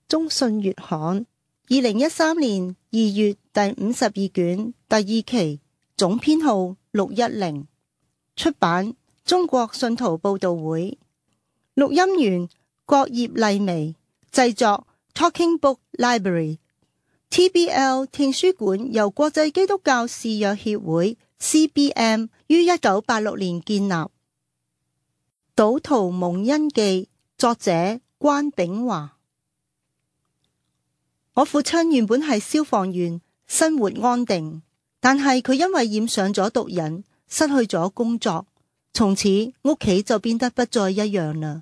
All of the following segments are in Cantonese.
中信月刊2013年2月第52卷第2期，總編號610，出版中國信徒報道會，錄音員郭葉麗薇，製作 Talking Book Library。TBL 聽書館由國際基督教視約協會 CBM 於1986年建立。賭徒蒙恩記，作者關炳華。我父親原本係消防員，生活安定，但係佢因為染上咗毒癮，失去咗工作，從此屋企就變得不再一樣啦。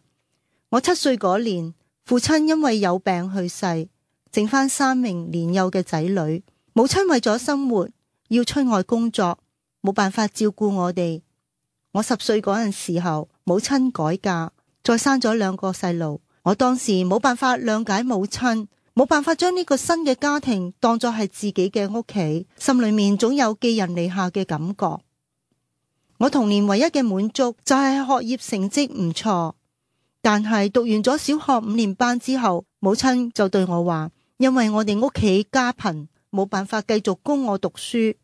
我7歲嗰年，父親因為有病去世，剩返3名年幼嘅仔女。母親為咗生活要出外工作，冇辦法照顧我哋。我10歲嗰陣時候，母親改嫁，再生咗2個細路。我當時冇辦法諒解母親，冇辦法將呢個新嘅家庭當作係自己嘅屋企，心裏面總有寄人籬下嘅感覺。我童年唯一嘅滿足就係學業成績唔錯，但係讀完咗小學5年班之後，母親就對我話，因為我哋屋企家貧，冇辦法繼續供我讀書，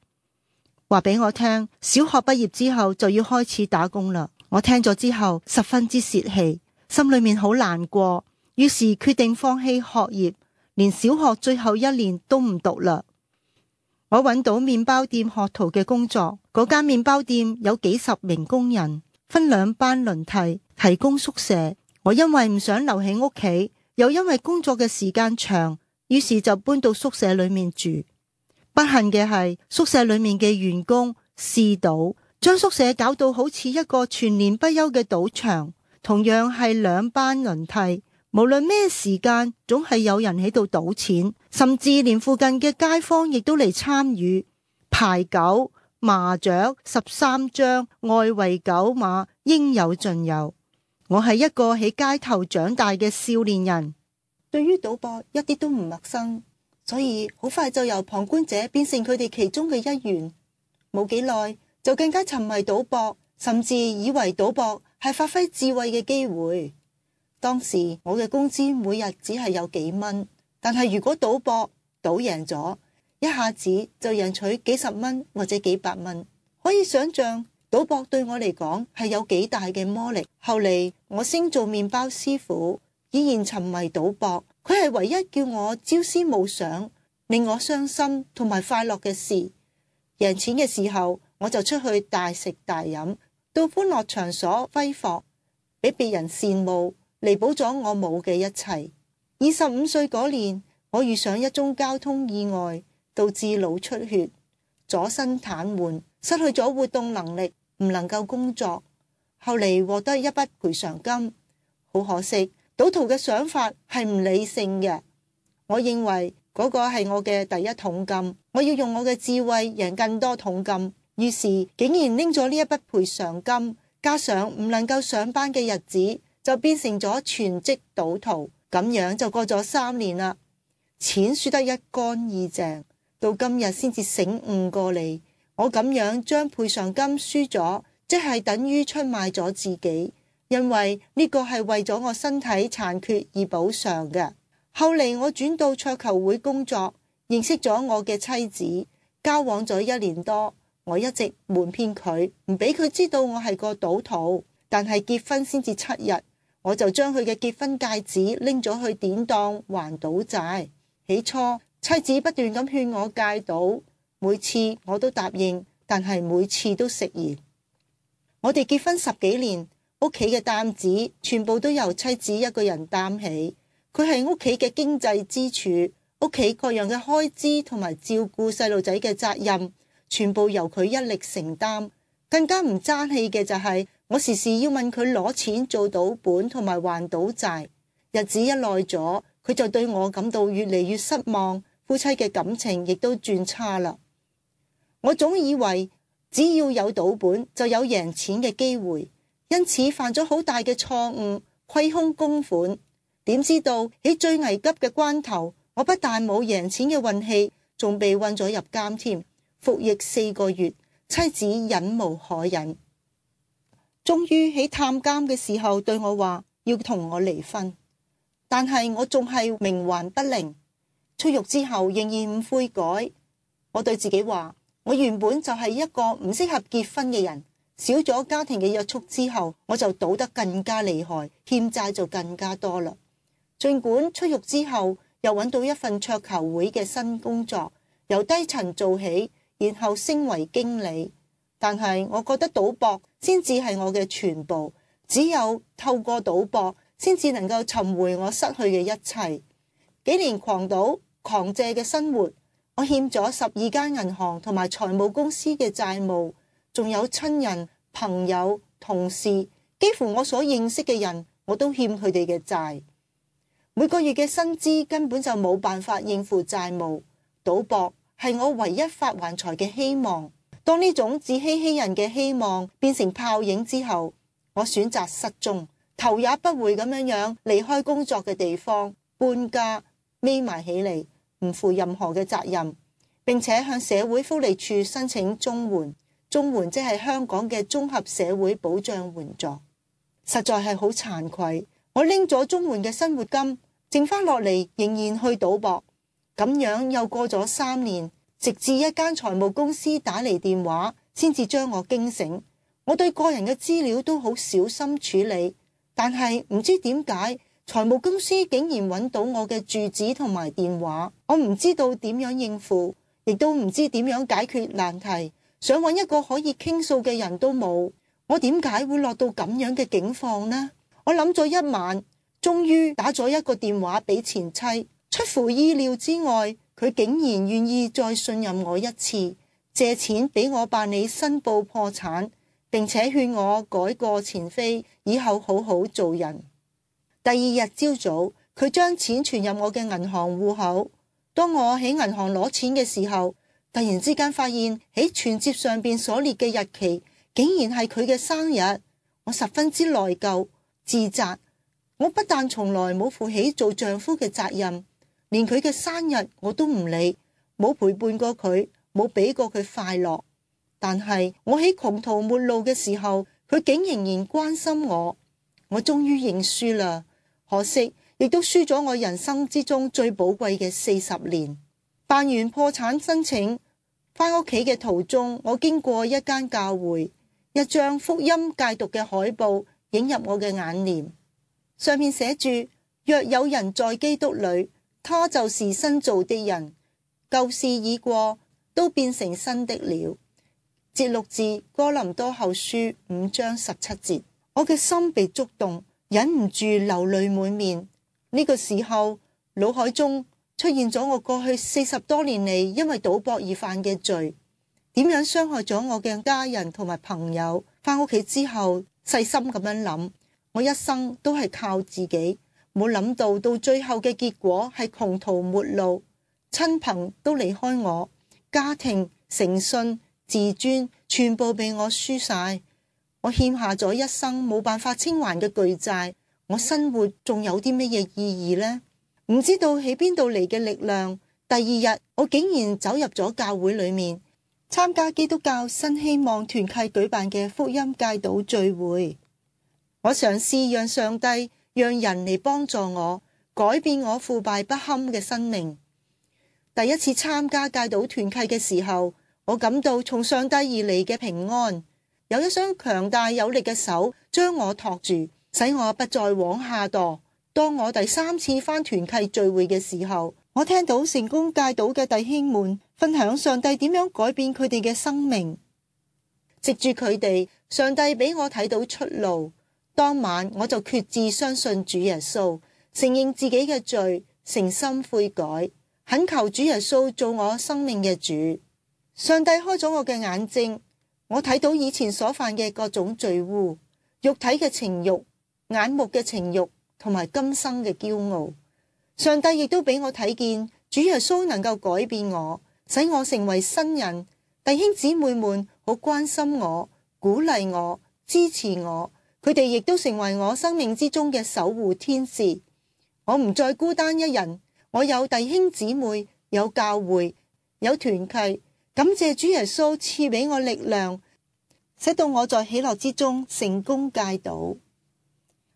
話俾我聽，小學畢業之後就要開始打工啦。我聽咗之後十分之泄氣，心裏面好難過，於是決定放棄學業，連小學最後1年都唔讀啦。我揾到麵包店學徒嘅工作，嗰間麵包店有幾十名工人，分2班輪替，提供宿舍。我因為唔想留喺屋企，又因為工作嘅時間長，於是就搬到宿舍裏面住。不幸嘅係，宿舍裏面嘅員工嗜賭，將宿舍搞到好似一個全年不休嘅賭場。同樣係2班輪替，無論咩時間，總係有人喺度賭錢，甚至連附近嘅街坊亦都嚟參與。牌九、麻雀、13張、外圍九碼，應有盡有。我係一個喺街頭長大嘅少年人，對於賭博一啲都唔陌生，所以好快就由旁觀者變成佢哋其中嘅一員。冇幾耐就更加沉迷賭博，甚至以為賭博係發揮智慧嘅機會。當時我嘅工資每日只係有幾蚊，但係如果賭博賭贏咗，一下子就贏取幾十蚊或者幾百蚊。可以想象賭博對我嚟講係有幾大嘅魔力。後嚟我升做麵包師傅，依然沉迷賭博，佢係唯一叫我朝思暮想、令我傷心同埋快樂嘅事。贏錢嘅時候，我就出去大食大飲，到歡樂場所揮霍，俾別人羨慕，彌補咗我冇嘅一切。25歲嗰年，我遇上一宗交通意外，導致腦出血，左身癱瘓，失去咗活動能力，唔能夠工作。後嚟獲得一筆賠償金。好可惜，賭徒嘅想法係唔理性嘅。我認為嗰個係我嘅第一桶金，我要用我嘅智慧贏更多桶金。於是竟然拎咗呢一筆賠償金，加上唔能夠上班嘅日子，就變成咗全職賭徒。咁樣就過咗3年啦，錢輸得一乾二淨，到今日先至醒悟過嚟。我咁樣將賠償金輸咗，即係等於出賣咗自己，因為呢個係為咗我身體殘缺而補償嘅。後嚟我轉到桌球會工作，認識咗我嘅妻子，交往咗1年多。我一直瞞騙佢，唔俾佢知道我係個賭徒。但係結婚先至7日，我就將佢嘅結婚戒指拎咗去典當還賭債。起初妻子不斷咁勸我戒賭，每次我都答應，但係每次都食言。我哋結婚10幾年，屋企嘅擔子全部都由妻子一個人擔起。佢係屋企嘅經濟支柱，屋企各樣嘅開支同埋照顧細路仔嘅責任，全部由佢一力承擔。更加唔爭氣嘅就係，我時時要問佢攞錢做賭本同埋還賭債。日子一耐咗，佢就對我感到越嚟越失望，夫妻嘅感情亦都轉差啦。我總以為只要有賭本就有贏錢嘅機會，因此犯咗好大嘅錯誤，虧空公款。點知道喺最危急嘅關頭，我不但冇贏錢嘅運氣，仲被運咗入監添，服役4個月。妻子忍無可忍，終於喺探監嘅時候對我話要同我離婚。但係我仲係冥頑不靈。出獄之後仍然唔悔改。我對自己話，我原本就係一個唔適合結婚嘅人，少咗家庭嘅約束之後，我就賭得更加厲害，欠債就更加多啦。儘管出獄之後又揾到一份桌球會嘅新工作，由低層做起，然後升為經理，但係我覺得賭博先至係我嘅全部，只有透過賭博先至能夠尋回我失去嘅一切。幾年狂賭狂借嘅生活，我欠咗12間銀行同埋財務公司嘅債務，仲有親人、朋友、同事，幾乎我所認識嘅人，我都欠佢哋嘅債。每個月嘅薪資根本就冇辦法應付債務，賭博係我唯一發橫財嘅希望。當呢種自欺欺人嘅希望變成泡影之後，我選擇失蹤，頭也不回咁樣離開工作嘅地方，搬家，匿埋起嚟，唔負任何嘅責任，並且向社會福利處申請綜援。綜援即係香港嘅綜合社會保障援助，實在係好慚愧。我拎咗綜援嘅生活金，剩翻落嚟仍然去賭博，咁樣又過咗3年，直至一間財務公司打嚟電話，先至將我驚醒。我對個人嘅資料都好小心處理，但係唔知點解財務公司竟然揾到我嘅住址同埋電話，我唔知道點樣應付，亦都唔知點樣解決難題，想揾一個可以傾訴嘅人都冇。我點解會落到咁樣嘅境況呢？我諗咗一晚，終於打咗一個電話俾前妻，出乎意料之外，佢竟然願意再信任我一次，借錢俾我辦理申報破產，並且勸我改過前非，以後好好做人。第二日朝早，佢將錢存入我嘅銀行戶口。當我喺銀行攞錢嘅時候，突然之間發現喺存摺上邊所列嘅日期，竟然係佢嘅生日。我十分之內疚自責，我不但從來冇負起做丈夫嘅責任，連佢嘅生日我都唔理，冇陪伴過佢，冇俾過佢快樂。但係我喺窮途末路嘅時候，佢竟仍然關心我。我終於認輸啦，可惜亦都輸咗我人生之中最寶貴嘅40年。辦完破產申請，返屋企嘅途中，我經過一間教會，一張福音戒毒嘅海報映入我嘅眼簾，上面寫住：若有人在基督裏，他就是新造的人，舊事已過，都變成新的了。節錄自哥林多後書5章17節。我嘅心被觸動，忍唔住流淚滿面。呢個時候，腦海中出現咗我過去40多年嚟因為賭博而犯嘅罪，點樣傷害咗我嘅家人同埋朋友。返屋企之後，細心咁樣諗，我一生都係靠自己，冇諗到到最後嘅結果係窮途末路，親朋都離開我，家庭、誠信、自尊全部被我輸晒。我欠下咗一生冇辦法清還嘅巨債，我生活仲有啲乜嘢意義呢？唔知道喺邊度嚟嘅力量。第二日，我竟然走入咗教會裏面，參加基督教新希望團契舉辦嘅福音戒賭聚會。我嘗試讓上帝、讓人嚟幫助我，改變我腐敗不堪嘅生命。第一次參加戒賭團契嘅時候，我感到從上帝而嚟嘅平安，有一雙強大有力嘅手將我托住，使我不再往下墮。當我第3次返團契聚會嘅時候，我聽到成功戒賭嘅弟兄們分享上帝點樣改變佢哋嘅生命，藉住佢哋，上帝俾我睇到出路。當晚我就決志相信主耶穌，承認自己嘅罪，誠心悔改，懇求主耶穌做我生命嘅主。上帝開咗我嘅眼睛，我睇到以前所犯嘅各種罪污，肉體嘅情慾、眼目嘅情慾同埋今生嘅驕傲。上帝亦都俾我睇見主耶穌能夠改變我，使我成為新人。弟兄姊妹們好關心我，鼓勵我，支持我，佢哋亦都成為我生命之中嘅守護天使。我唔再孤單一人，我有弟兄姊妹，有教會，有團契。感謝主耶穌賜俾我力量，使到我在喜樂之中成功戒賭。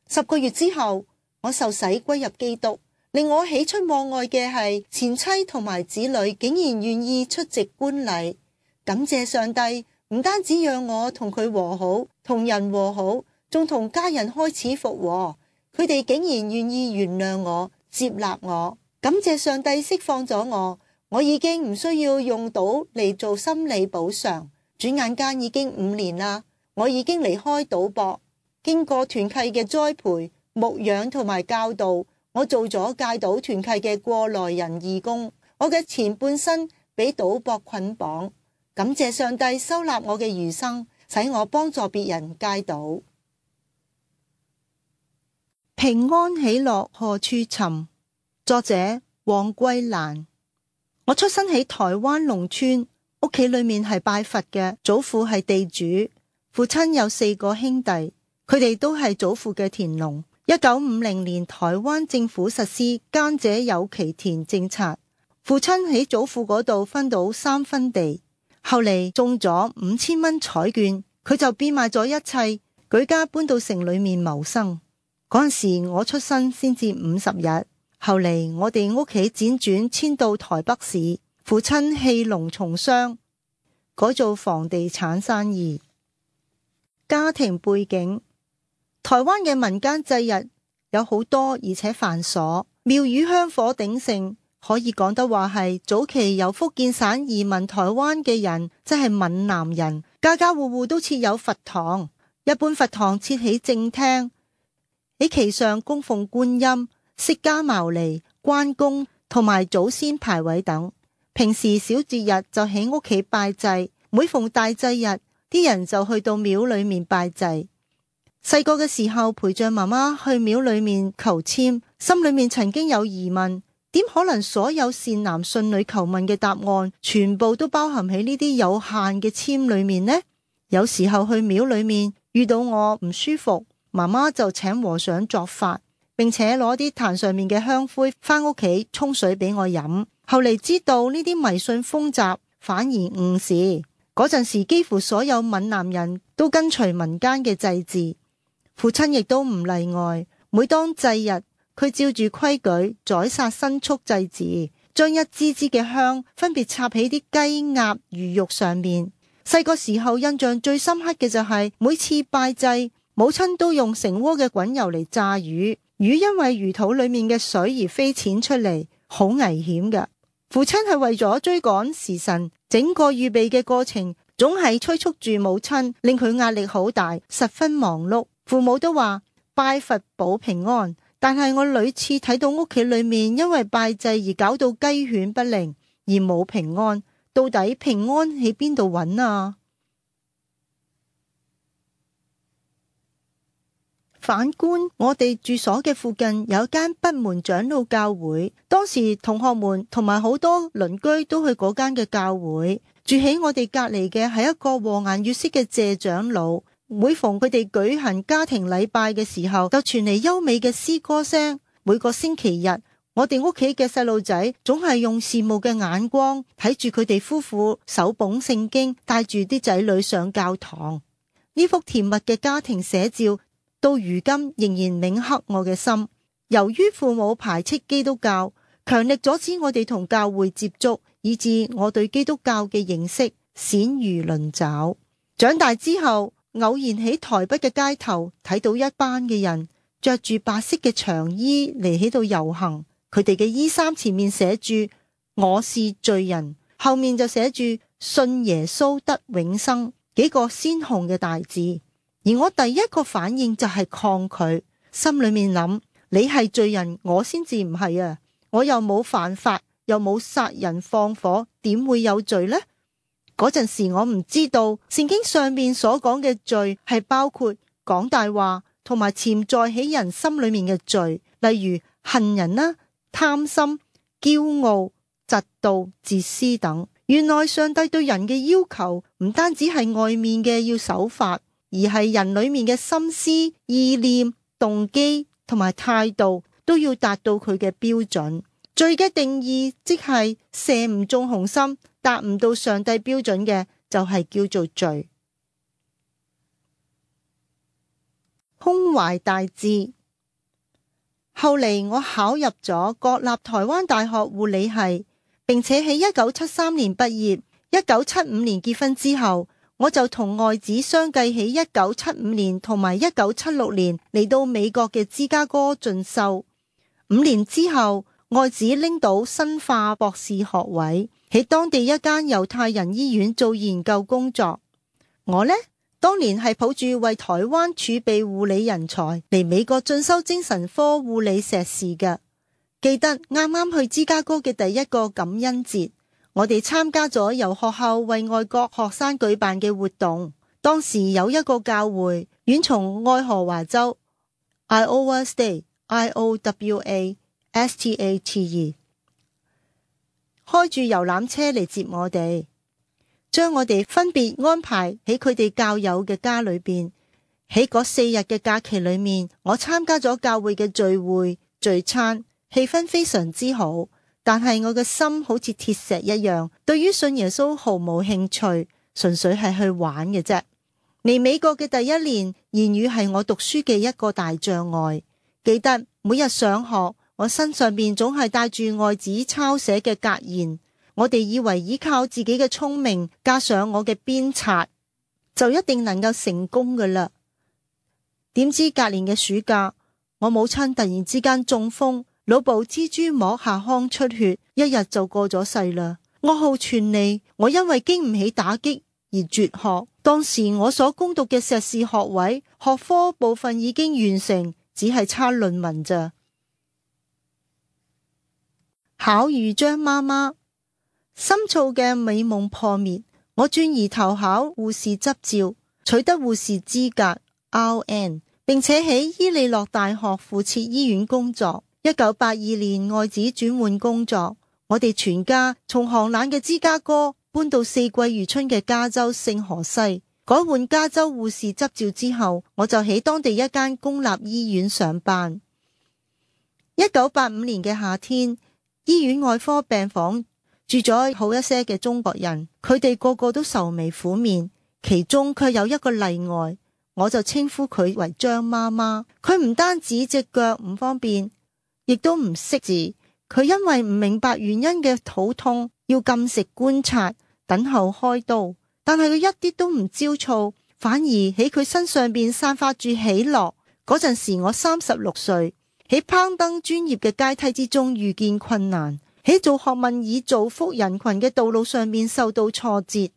10個月之後，我受洗歸入基督。令我喜出望外嘅係前妻同埋子女竟然願意出席觀禮，感謝上帝，唔單止讓我同佢和好，同人和好，仲同家人開始復和。佢哋竟然願意原諒我，接納我。感謝上帝釋放咗我，我已經唔需要用賭嚟做心理補償。轉眼間已經5年啦，我已經離開賭博，經過團契嘅栽培、牧養同埋教導。我做咗戒賭團契嘅過來人義工，我嘅前半生俾賭博捆綁，感謝上帝收納我嘅餘生，使我幫助別人戒賭。平安喜樂何處尋？作者黃桂蘭。我出生喺台灣農村，屋企裏面係拜佛嘅，祖父係地主，父親有4個兄弟，佢哋都係祖父嘅田農。1950年，台灣政府實施耕者有其田政策，父親喺祖父嗰度分到3分地，後嚟中咗5000蚊彩券，佢就變賣咗一切，舉家搬到城裏面謀生。嗰陣時我出生先至50日，後嚟我哋屋企輾轉遷到台北市，父親棄農從商，改做房地產生意。家庭背景。台灣嘅民間祭日有好多，而且繁瑣，廟宇香火鼎盛，可以講得話係早期由福建省移民台灣嘅人，即係閩南人，家家戶戶都設有佛堂，一般佛堂設喺正廳，喺其上供奉觀音、釋迦牟尼、關公同埋祖先牌位等。平時小節日就喺屋企拜祭，每逢大祭日，啲人就去到廟裏面拜祭。細個嘅時候陪着媽媽去廟裏面求籤，心裏面曾經有疑問，點可能所有善男信女求問嘅答案全部都包含喺呢啲有限嘅籤裏面呢？有時候去廟裏面遇到我唔舒服，媽媽就請和尚作法，並且攞啲壇上面嘅香灰返屋企沖水俾我飲。後嚟知道呢啲迷信風習反而誤事，嗰陣時幾乎所有閩南人都跟隨民間嘅祭祀。父親亦都唔例外，每當祭日，佢照住規矩宰殺牲畜祭祀，將一支支嘅香分別插喺啲雞鴨魚肉上面。細個時候印象最深刻嘅就係每次拜祭，母親都用成鍋嘅滾油嚟炸魚，魚因為魚肚裏面嘅水而飛濺出嚟，好危險㗎。父親係為咗追趕時辰，整個預備嘅過程總係催促住母親，令佢壓力好大，十分忙碌。父母都話拜佛保平安，但係我屢次睇到屋企裏面因為拜祭而搞到雞犬不寧，而冇平安。到底平安喺邊度揾啊？反觀我哋住所嘅附近有一間北門長老教會，當時同學們同埋好多鄰居都去嗰間嘅教會。住喺我哋隔籬嘅係一個和顏悅色嘅謝長老。每逢佢哋舉行家庭禮拜嘅時候，就傳嚟優美嘅詩歌聲。每個星期日，我哋屋企嘅細路仔總係用羨慕嘅眼光睇住佢哋夫婦手捧聖經，帶住啲仔女上教堂。呢幅甜蜜嘅家庭寫照，到如今仍然銘刻我嘅心。由於父母排斥基督教，強力阻止我哋同教會接觸，以致我對基督教嘅認識鮮如鱗爪。長大之後，偶然喺台北嘅街頭睇到一班嘅人着住白色嘅長衣嚟喺度遊行，佢哋嘅衣衫前面寫住我是罪人，後面就寫住信耶穌得永生，幾個鮮紅嘅大字。而我第一個反應就係抗拒，心裏面諗，你係罪人，我先至唔係啊，我又冇犯法，又冇殺人放火，點會有罪呢？嗰陣時我唔知道聖經上面所講嘅罪係包括講大話同埋潛在喺人心裏面嘅罪，例如恨人啦、貪心、驕傲、嫉妒、自私等。原來上帝對人嘅要求唔單止係外面嘅要守法，而係人裏面嘅心思、意念、動機同埋態度都要達到佢嘅標準。罪嘅定義即係射唔中紅心，達唔到上帝標準嘅就係叫做罪。胸懷大志。後嚟我考入咗國立台灣大學護理系，並且喺1973年畢業。1975年結婚之後，我就同外子相繼喺1975年同埋1976年嚟到美國嘅芝加哥進修。5年之後，外子拎到生化博士學位，喺當地一間猶太人醫院做研究工作。我呢，當年係抱住為台灣儲備護理人才嚟美國進修精神科護理碩士嘅。記得啱啱去芝加哥嘅第一個感恩節，我哋參加咗由學校為外國學生舉辦嘅活動。當時有一個教會遠從愛荷華州 Iowa State IOWA STATE 開住遊覽車嚟接我哋，將我哋分別安排喺佢哋教友嘅家裏邊。喺嗰4日嘅假期裏面，我參加咗教會嘅聚會聚餐，氣氛非常之好。但係我嘅心好似鐵石一樣，對於信耶穌毫無興趣，純粹係去玩嘅啫。嚟美國嘅第一年，言語係我讀書嘅一個大障礙。記得每日上學，我身上邊總係帶住外子抄寫嘅格言。我哋以為依靠自己嘅聰明，加上我嘅鞭策，就一定能夠成功㗎喇。點知隔年嘅暑假，我母親突然之間中風，腦部蜘蛛膜下腔出血，一日就過咗世啦。噩耗傳嚟，我因為經唔起打擊而輟學。當時我所攻讀嘅碩士學位學科部分已經完成，只係差論文咋。巧遇張媽媽，深造嘅美夢破滅，我轉而投考護士執照，取得護士資格 RN， 並且喺伊利諾大學附設醫院工作。1982年外子轉換工作，我哋全家從寒冷嘅芝加哥搬到四季如春嘅加州聖荷西。改換加州護士執照之後，我就喺當地一間公立醫院上班。1985年嘅夏天，醫院外科病房住咗好一些嘅中國人，佢哋個個都愁眉苦面，其中卻有一個例外，我就稱呼佢為張媽媽。佢唔單止隻腳唔方便，亦都唔識字。佢因為唔明白原因嘅肚痛，要禁食觀察，等候開刀。但係佢一啲都唔焦躁，反而喺佢身上邊散發住喜樂。嗰陣時我36歲，喺攀登專業嘅階梯之中遇見困難，喺做學問以造福人群嘅道路上面受到挫折，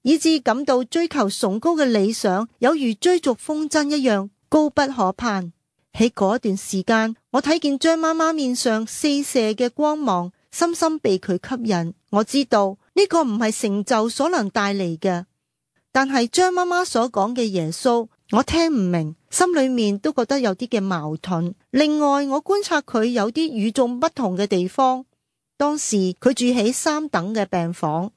以致感到追求崇高嘅理想有如追逐風箏一樣高不可攀。喺嗰段時間，我睇見張媽媽面上四射嘅光芒，深深被佢吸引。我知道呢個唔係成就所能帶嚟嘅，但係張媽媽所講嘅耶穌，我聽唔明，心裏面都覺得有啲嘅矛盾。另外，我觀察佢有啲與眾不同嘅地方。當時佢住喺3等嘅病房，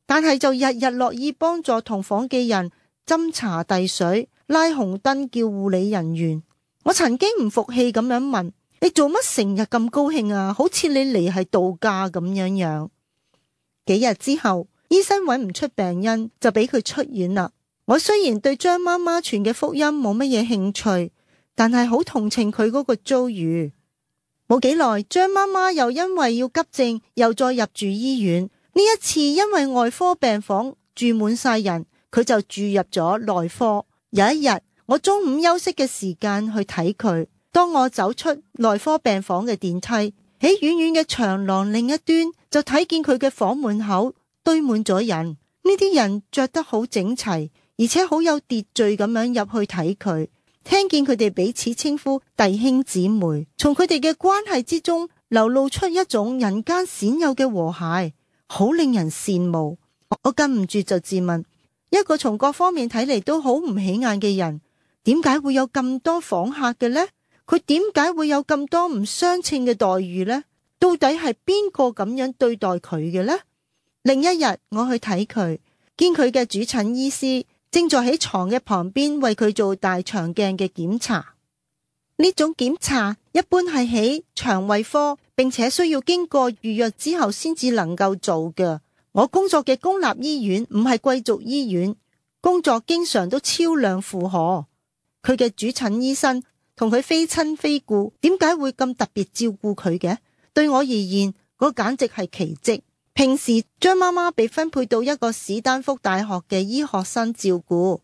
但係就日日樂意幫助同房嘅人斟茶遞水、拉紅燈叫護理人員。我曾經唔服氣咁樣問：你做乜成日咁高興啊？好似你嚟係度假咁樣。幾日之後，醫生揾唔出病因，就俾佢出院啦。我雖然對張媽媽傳嘅福音冇乜嘢興趣，但係好同情佢嗰個遭遇。冇幾耐，張媽媽又因為要急症，又再入住醫院。呢一次因為外科病房住滿晒人，佢就住入咗內科。有一日，我中午休息嘅時間去睇佢，當我走出內科病房嘅電梯，喺遠遠嘅長廊另一端就睇見佢嘅房門口堆滿咗人。呢啲人着得好整齊，而且好有秩序咁樣入去睇佢，聽見佢哋彼此稱呼弟兄姊妹，從佢哋嘅關係之中流露出一種人間鮮有嘅和諧，好令人羨慕。我禁唔住就自問，一個從各方面睇嚟都好唔起眼嘅人，點解會有咁多訪客嘅呢？佢點解會有咁多唔相稱嘅待遇呢？到底係邊個咁樣對待佢嘅呢？另一日我去睇佢，見佢嘅主診醫師正在喺床嘅旁邊為佢做大腸鏡嘅檢查。呢種檢查一般係喺腸胃科，並且需要經過預約之後先至能夠做嘅。我工作嘅公立醫院唔係貴族醫院，工作經常都超量負荷。佢嘅主診醫生同佢非親非故，點解會咁特別照顧佢嘅？對我而言，嗰簡直係奇蹟。平時張媽媽被分配到一個史丹福大學嘅醫學生照顧，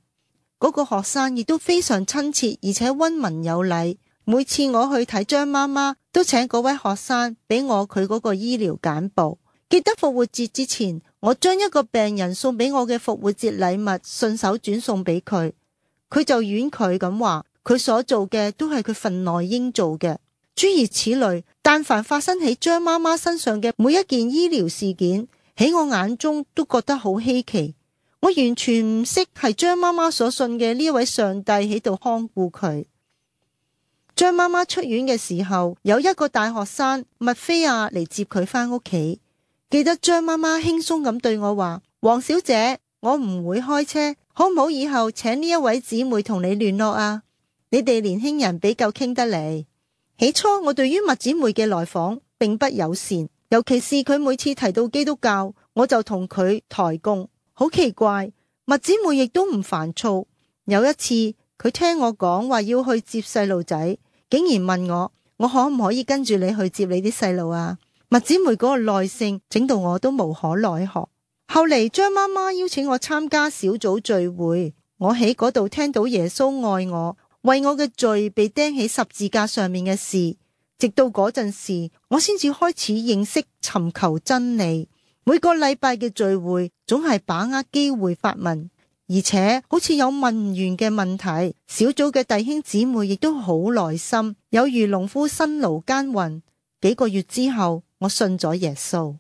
嗰個學生亦都非常親切，而且溫文有禮。每次我去睇張媽媽，都請嗰位學生俾我佢嗰個醫療簡報。記得復活節之前，我將一個病人送俾我嘅復活節禮物順手轉送俾佢，佢就婉拒咁話，佢所做嘅都係佢份內應做嘅。諸如此類，但凡發生喺張媽媽身上嘅每一件醫療事件，喺我眼中都覺得好稀奇。我完全唔識係張媽媽所信嘅呢一位上帝喺度看顧佢。張媽媽出院嘅時候，有一個大學生麥菲亞嚟接佢返屋企。記得張媽媽輕鬆咁對我話，黃小姐，我唔會開車，可唔好以後請呢一位姊妹同你聯絡啊？你哋年輕人比較傾得嚟。起初我對於麥姊妹嘅來訪並不友善，尤其是佢每次提到基督教，我就同佢抬槓。好奇怪，麥姊妹亦都唔煩躁。有一次佢聽我講話要去接細路仔，竟然問我可唔可以跟住你去接你啲細路啊？麥姊妹嗰個耐性整到我都無可奈何。後嚟張媽媽邀請我參加小組聚會，我喺嗰度聽到耶穌愛我，為我嘅罪被釘喺十字架上面嘅事。直到嗰陣時，我先至開始認識尋求真理。每個禮拜嘅聚會總係把握機會發問，而且好似有問完嘅問題，小組嘅弟兄姊妹亦都好耐心，有如農夫辛勞耕耘。幾個月之後，我信咗耶穌。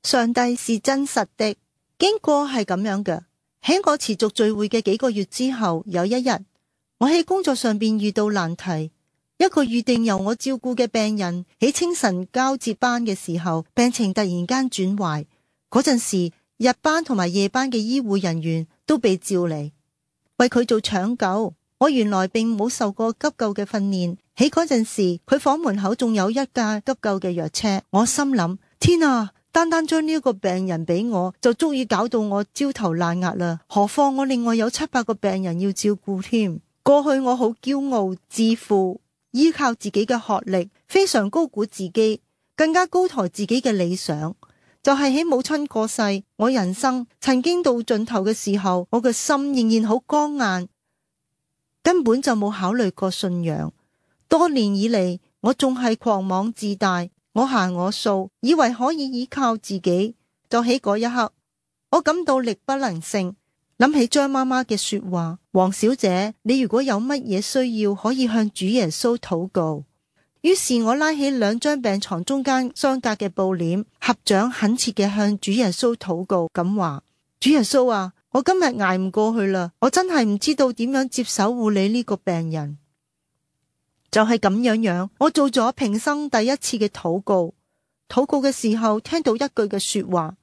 上帝是真實的。經過係咁樣嘅，喺我持續聚會嘅幾個月之後，有一日我喺工作上邊遇到難題。一個預定由我照顧嘅病人喺清晨交接班嘅時候，病情突然間轉壞。嗰陣時，日班同埋夜班嘅醫護人員都被召嚟為佢做搶救。我原來並冇受過急救嘅訓練。喺嗰陣時，佢房門口仲有一架急救嘅藥車。我心諗，天啊，單單將呢一個病人俾我就足以搞到我焦頭爛額啦，何況我另外有700個病人要照顧添。過去我好驕傲自負，依靠自己嘅學歷，非常高估自己，更加高抬自己嘅理想。就係喺母親過世，我人生曾經到盡頭嘅時候，我嘅心仍然好剛硬，根本就冇考慮過信仰。多年以嚟，我仲係狂妄自大，我行我素，以為可以依靠自己。就喺嗰一刻，我感到力不能勝，諗起張媽媽嘅說話，黃小姐，你如果有乜嘢需要，可以向主耶穌禱告。於是我拉起2張病床中間相隔嘅布簾，合掌懇切嘅向主耶穌禱告，咁話：主耶穌啊，我今日捱唔過去啦，我真係唔知道點樣接手護理呢個病人。就係咁樣，我做咗平生第一次嘅禱告。禱告嘅時候，聽到一句嘅說話：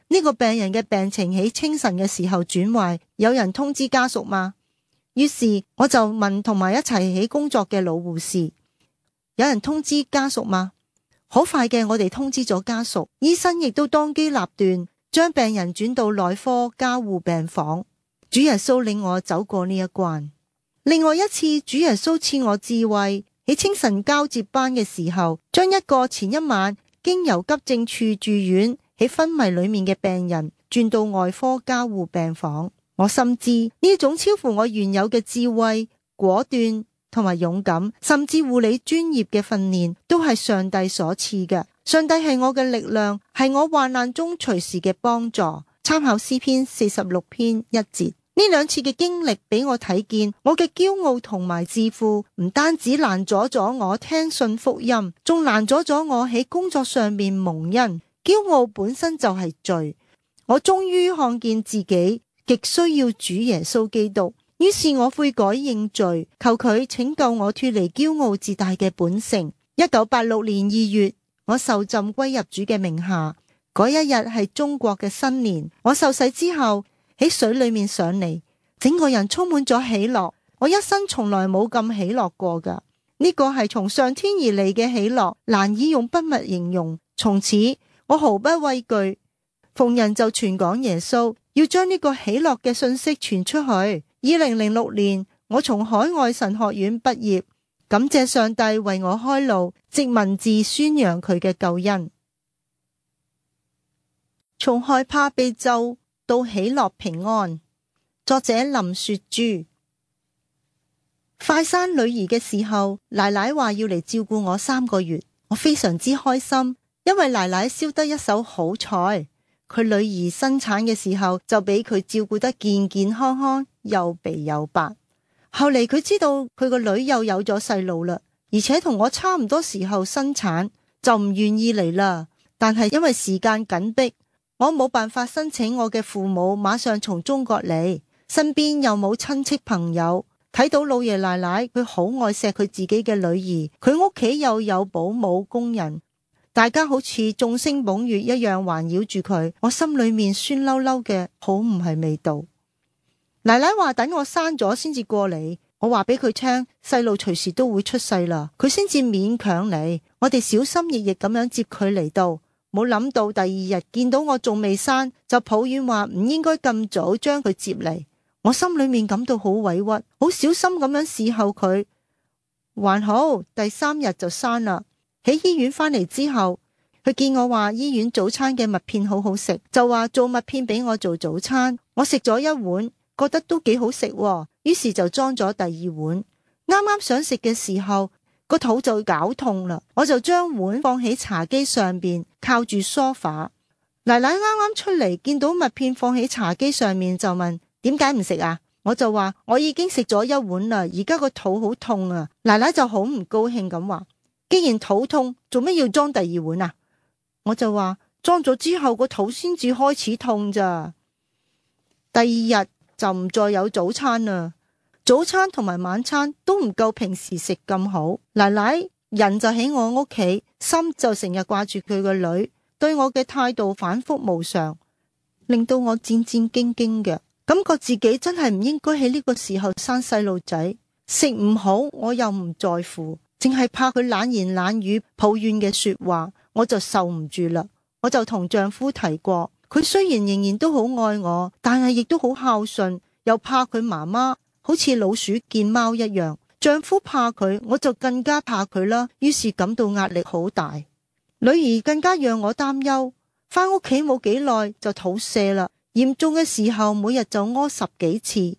呢個病人嘅病情喺清晨嘅時候轉壞，有人通知家屬嗎？於是我就問同埋一齊喺工作嘅老護士：有人通知家屬嗎？好快嘅，我哋通知咗家屬，醫生亦都當機立斷，將病人轉到內科加護病房。主耶穌領我走過呢一關。另外一次，主耶穌賜我智慧，喺清晨交接班嘅時候，將一個前一晚經由急症處住院喺昏迷裏面嘅病人轉到外科加護病房。我深知呢種超乎我原有嘅智慧、果斷同埋勇敢，甚至護理專業嘅訓練，都係上帝所賜嘅。上帝係我嘅力量，係我患難中隨時嘅幫助。參考詩篇46篇1節。呢2次嘅經歷俾我睇見，我嘅驕傲同埋自負唔單止攔阻咗我聽信福音，仲攔阻咗我喺工作上面蒙恩。驕傲本身就係罪。我終於看見自己極需要主耶穌基督，於是我悔改認罪，求佢拯救我脫離驕傲自大嘅本性。1986年2月，我受浸歸入主嘅名下。嗰一日係中國嘅新年，我受洗之後喺水裏面上嚟，整個人充滿咗喜樂。我一生從來冇咁喜樂過噶，呢個係從上天而嚟嘅喜樂，難以用筆墨形容。從此我毫不畏懼，逢人就傳講耶穌，要將呢個喜樂嘅信息傳出去。2006年，我從海外神學院畢業，感謝上帝為我開路，藉文字宣揚佢嘅救恩。從害怕被咒到喜樂平安。作者林雪珠。快生女兒嘅時候，奶奶話要嚟照顧我3個月，我非常之開心，因為奶奶燒得一手好菜。佢女兒生產嘅時候就俾佢照顧得健健康康，又肥又白。後嚟佢知道佢個女又有咗細路啦，而且同我差唔多時候生產，就唔願意嚟啦。但係因為時間緊迫，我冇辦法申請我嘅父母馬上從中國嚟，身邊又冇親戚朋友。睇到老爺奶奶佢好愛錫佢自己嘅女兒，佢屋企又有保姆工人，大家好似眾星捧月一樣環繞住佢，我心裏面酸溜溜嘅，好唔係味道。奶奶話等我生咗先至過嚟，我話俾佢聽細路隨時都會出世啦，佢先至勉強嚟。我哋小心翼翼咁樣接佢嚟到，冇諗到第2日見到我仲未生，就抱怨話唔應該咁早將佢接嚟。我心裏面感到好委屈，好小心咁樣侍候佢。還好第3日就生啦。喺醫院返嚟之後，佢見我話醫院早餐嘅麥片好好食，就話做麥片俾我做早餐。我食咗1碗，覺得都幾好食，於是就裝咗第2碗。啱啱想食嘅時候，個肚就絞痛啦，我就將碗放喺茶几上邊，靠住梳化。奶奶啱啱出嚟，見到麥片放喺茶几上面，就問點解唔食啊？我就話我已經食咗1碗啦，而家個肚好痛啊。奶奶就好唔高興咁話，既然肚痛，做咩要裝第2碗啊？我就話裝咗之後個肚先至開始痛咋。第2日就唔再有早餐啦，早餐同埋晚餐都唔夠平時食咁好。奶奶人就喺我屋企，心就成日掛住佢個女，對我嘅態度反覆無常，令到我戰戰兢兢嘅，感覺自己真係唔應該喺呢個時候生細路仔。食唔好我又唔在乎，淨係怕佢冷言冷語抱怨嘅說話，我就受唔住啦。我就同丈夫提過，佢雖然仍然都好愛我，但係亦都好孝順，又怕佢媽媽好似老鼠見貓一樣。丈夫怕佢，我就更加怕佢啦，於是感到壓力好大。女兒更加讓我擔憂，返屋企冇幾耐就肚瀉啦，嚴重嘅時候每日就屙10幾次，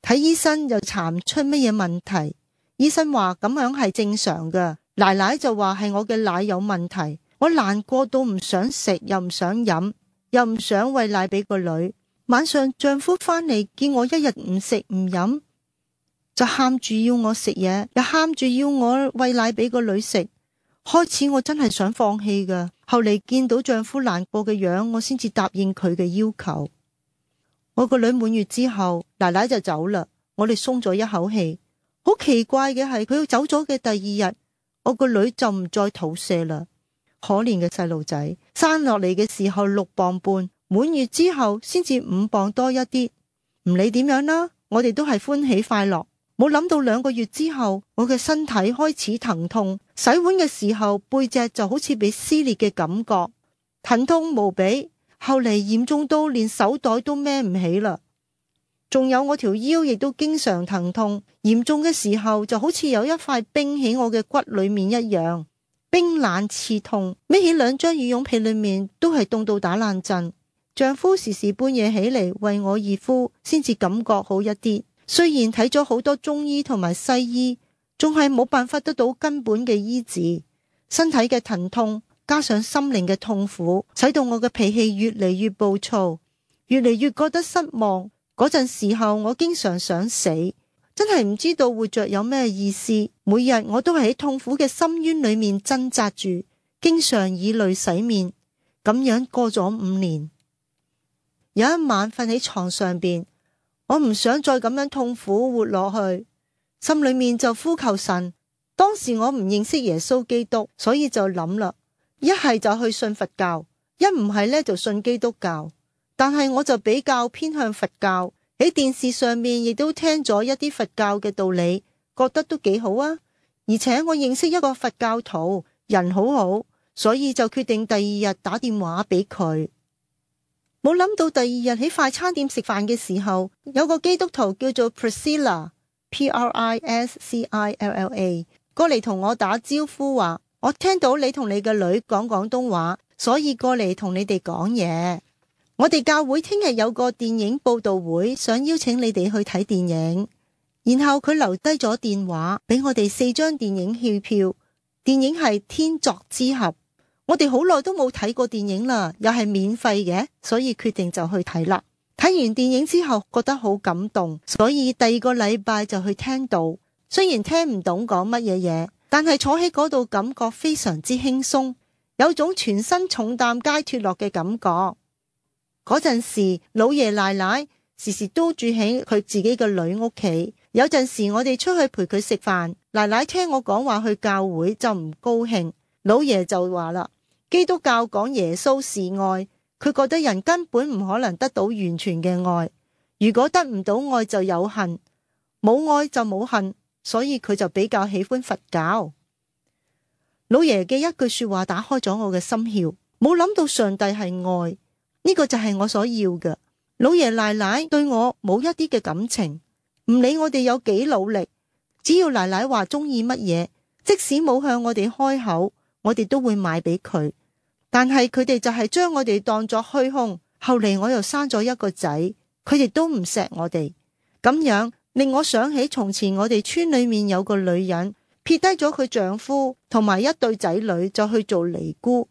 睇醫生又查唔出乜嘢問題。醫生話咁樣係正常嘅，奶奶就話係我嘅奶有問題。我難過到唔想食，又唔想飲，又唔想餵奶俾個女。晚上丈夫返嚟見我一日唔食唔飲，就喊住要我食嘢，又喊住要我餵奶俾個女食。開始我真係想放棄㗎，後嚟見到丈夫難過嘅樣，我先至答應佢嘅要求。我個女滿月之後，奶奶就走啦，我哋鬆咗一口氣。好奇怪嘅係，佢走咗嘅第2日，我個女就唔再肚瀉啦。可憐嘅細路仔，生落嚟嘅時候6磅半，滿月之後先至5磅多一啲。唔理點樣啦，我哋都係歡喜快樂。冇諗到2個月之後，我嘅身體開始疼痛，洗碗嘅時候背脊就好似被撕裂嘅感覺，疼痛無比。後嚟嚴重到連手袋都孭唔起啦。仲有我條腰亦都經常疼痛，嚴重嘅時候就好似有一塊冰喺我嘅骨裏面一樣，冰冷刺痛，孭起2張羽絨被裏面都係凍到打冷震。丈夫時時半夜起嚟為我熱敷，先至感覺好一啲。雖然睇咗好多中醫同埋西醫，仲係冇辦法得到根本嘅醫治。身體嘅疼痛加上心靈嘅痛苦，使到我嘅脾氣越嚟越暴躁，越嚟越覺得失望。嗰陣時候我經常想死，真係唔知道活着有咩意思。每日我都係喺痛苦嘅深淵裏面掙扎住，經常以淚洗面。咁樣過咗5年，有一晚瞓喺床上邊，我唔想再咁樣痛苦活落去，心裏面就呼求神。當時我唔認識耶穌基督，所以就諗啦，一係就去信佛教，一唔係呢就信基督教。但係我就比較偏向佛教，喺電視上面亦都聽咗一啲佛教嘅道理，覺得都幾好啊。而且我認識一個佛教徒，人好好，所以就決定第2日打電話俾佢。冇諗到第2日喺快餐店食飯嘅時候，有個基督徒叫做 Priscilla，Priscilla，過嚟同我打招呼話，我聽到你同你嘅女講廣東話，所以過嚟同你哋講嘢。我哋教會聽日有個電影報道會，想邀請你哋去睇電影。然後佢留低咗電話俾我哋4張電影戲票，電影係《天作之合》。我哋好耐都冇睇過電影啦，又係免費嘅，所以決定就去睇啦。睇完電影之後覺得好感動，所以第2個禮拜就去聽道。雖然聽唔懂講乜嘢，但係坐喺嗰度感覺非常之輕鬆，有種全身重擔皆脫落嘅感覺。嗰陣時老爺奶奶時時都住喺佢自己嘅女屋企，有陣時我哋出去陪佢食飯，奶奶聽我講話去教會就唔高興，老爺就話啦，基督教講耶穌是愛，佢覺得人根本唔可能得到完全嘅愛，如果得唔到愛就有恨，冇愛就冇恨，所以佢就比較喜歡佛教。老爺嘅一句說話打開咗我嘅心竅，冇諗到上帝係愛，呢個就係我所要嘅。老爺奶奶對我冇一啲嘅感情，唔理我哋有幾努力，只要奶奶話中意乜嘢，即使冇向我哋開口，我哋都會買俾佢。但係佢哋就係將我哋當作虛空。後嚟我又生咗一個仔，佢哋都唔錫我哋，咁樣令我想起從前我哋村裏面有個女人撇低咗佢丈夫同埋一對仔女就去做尼姑，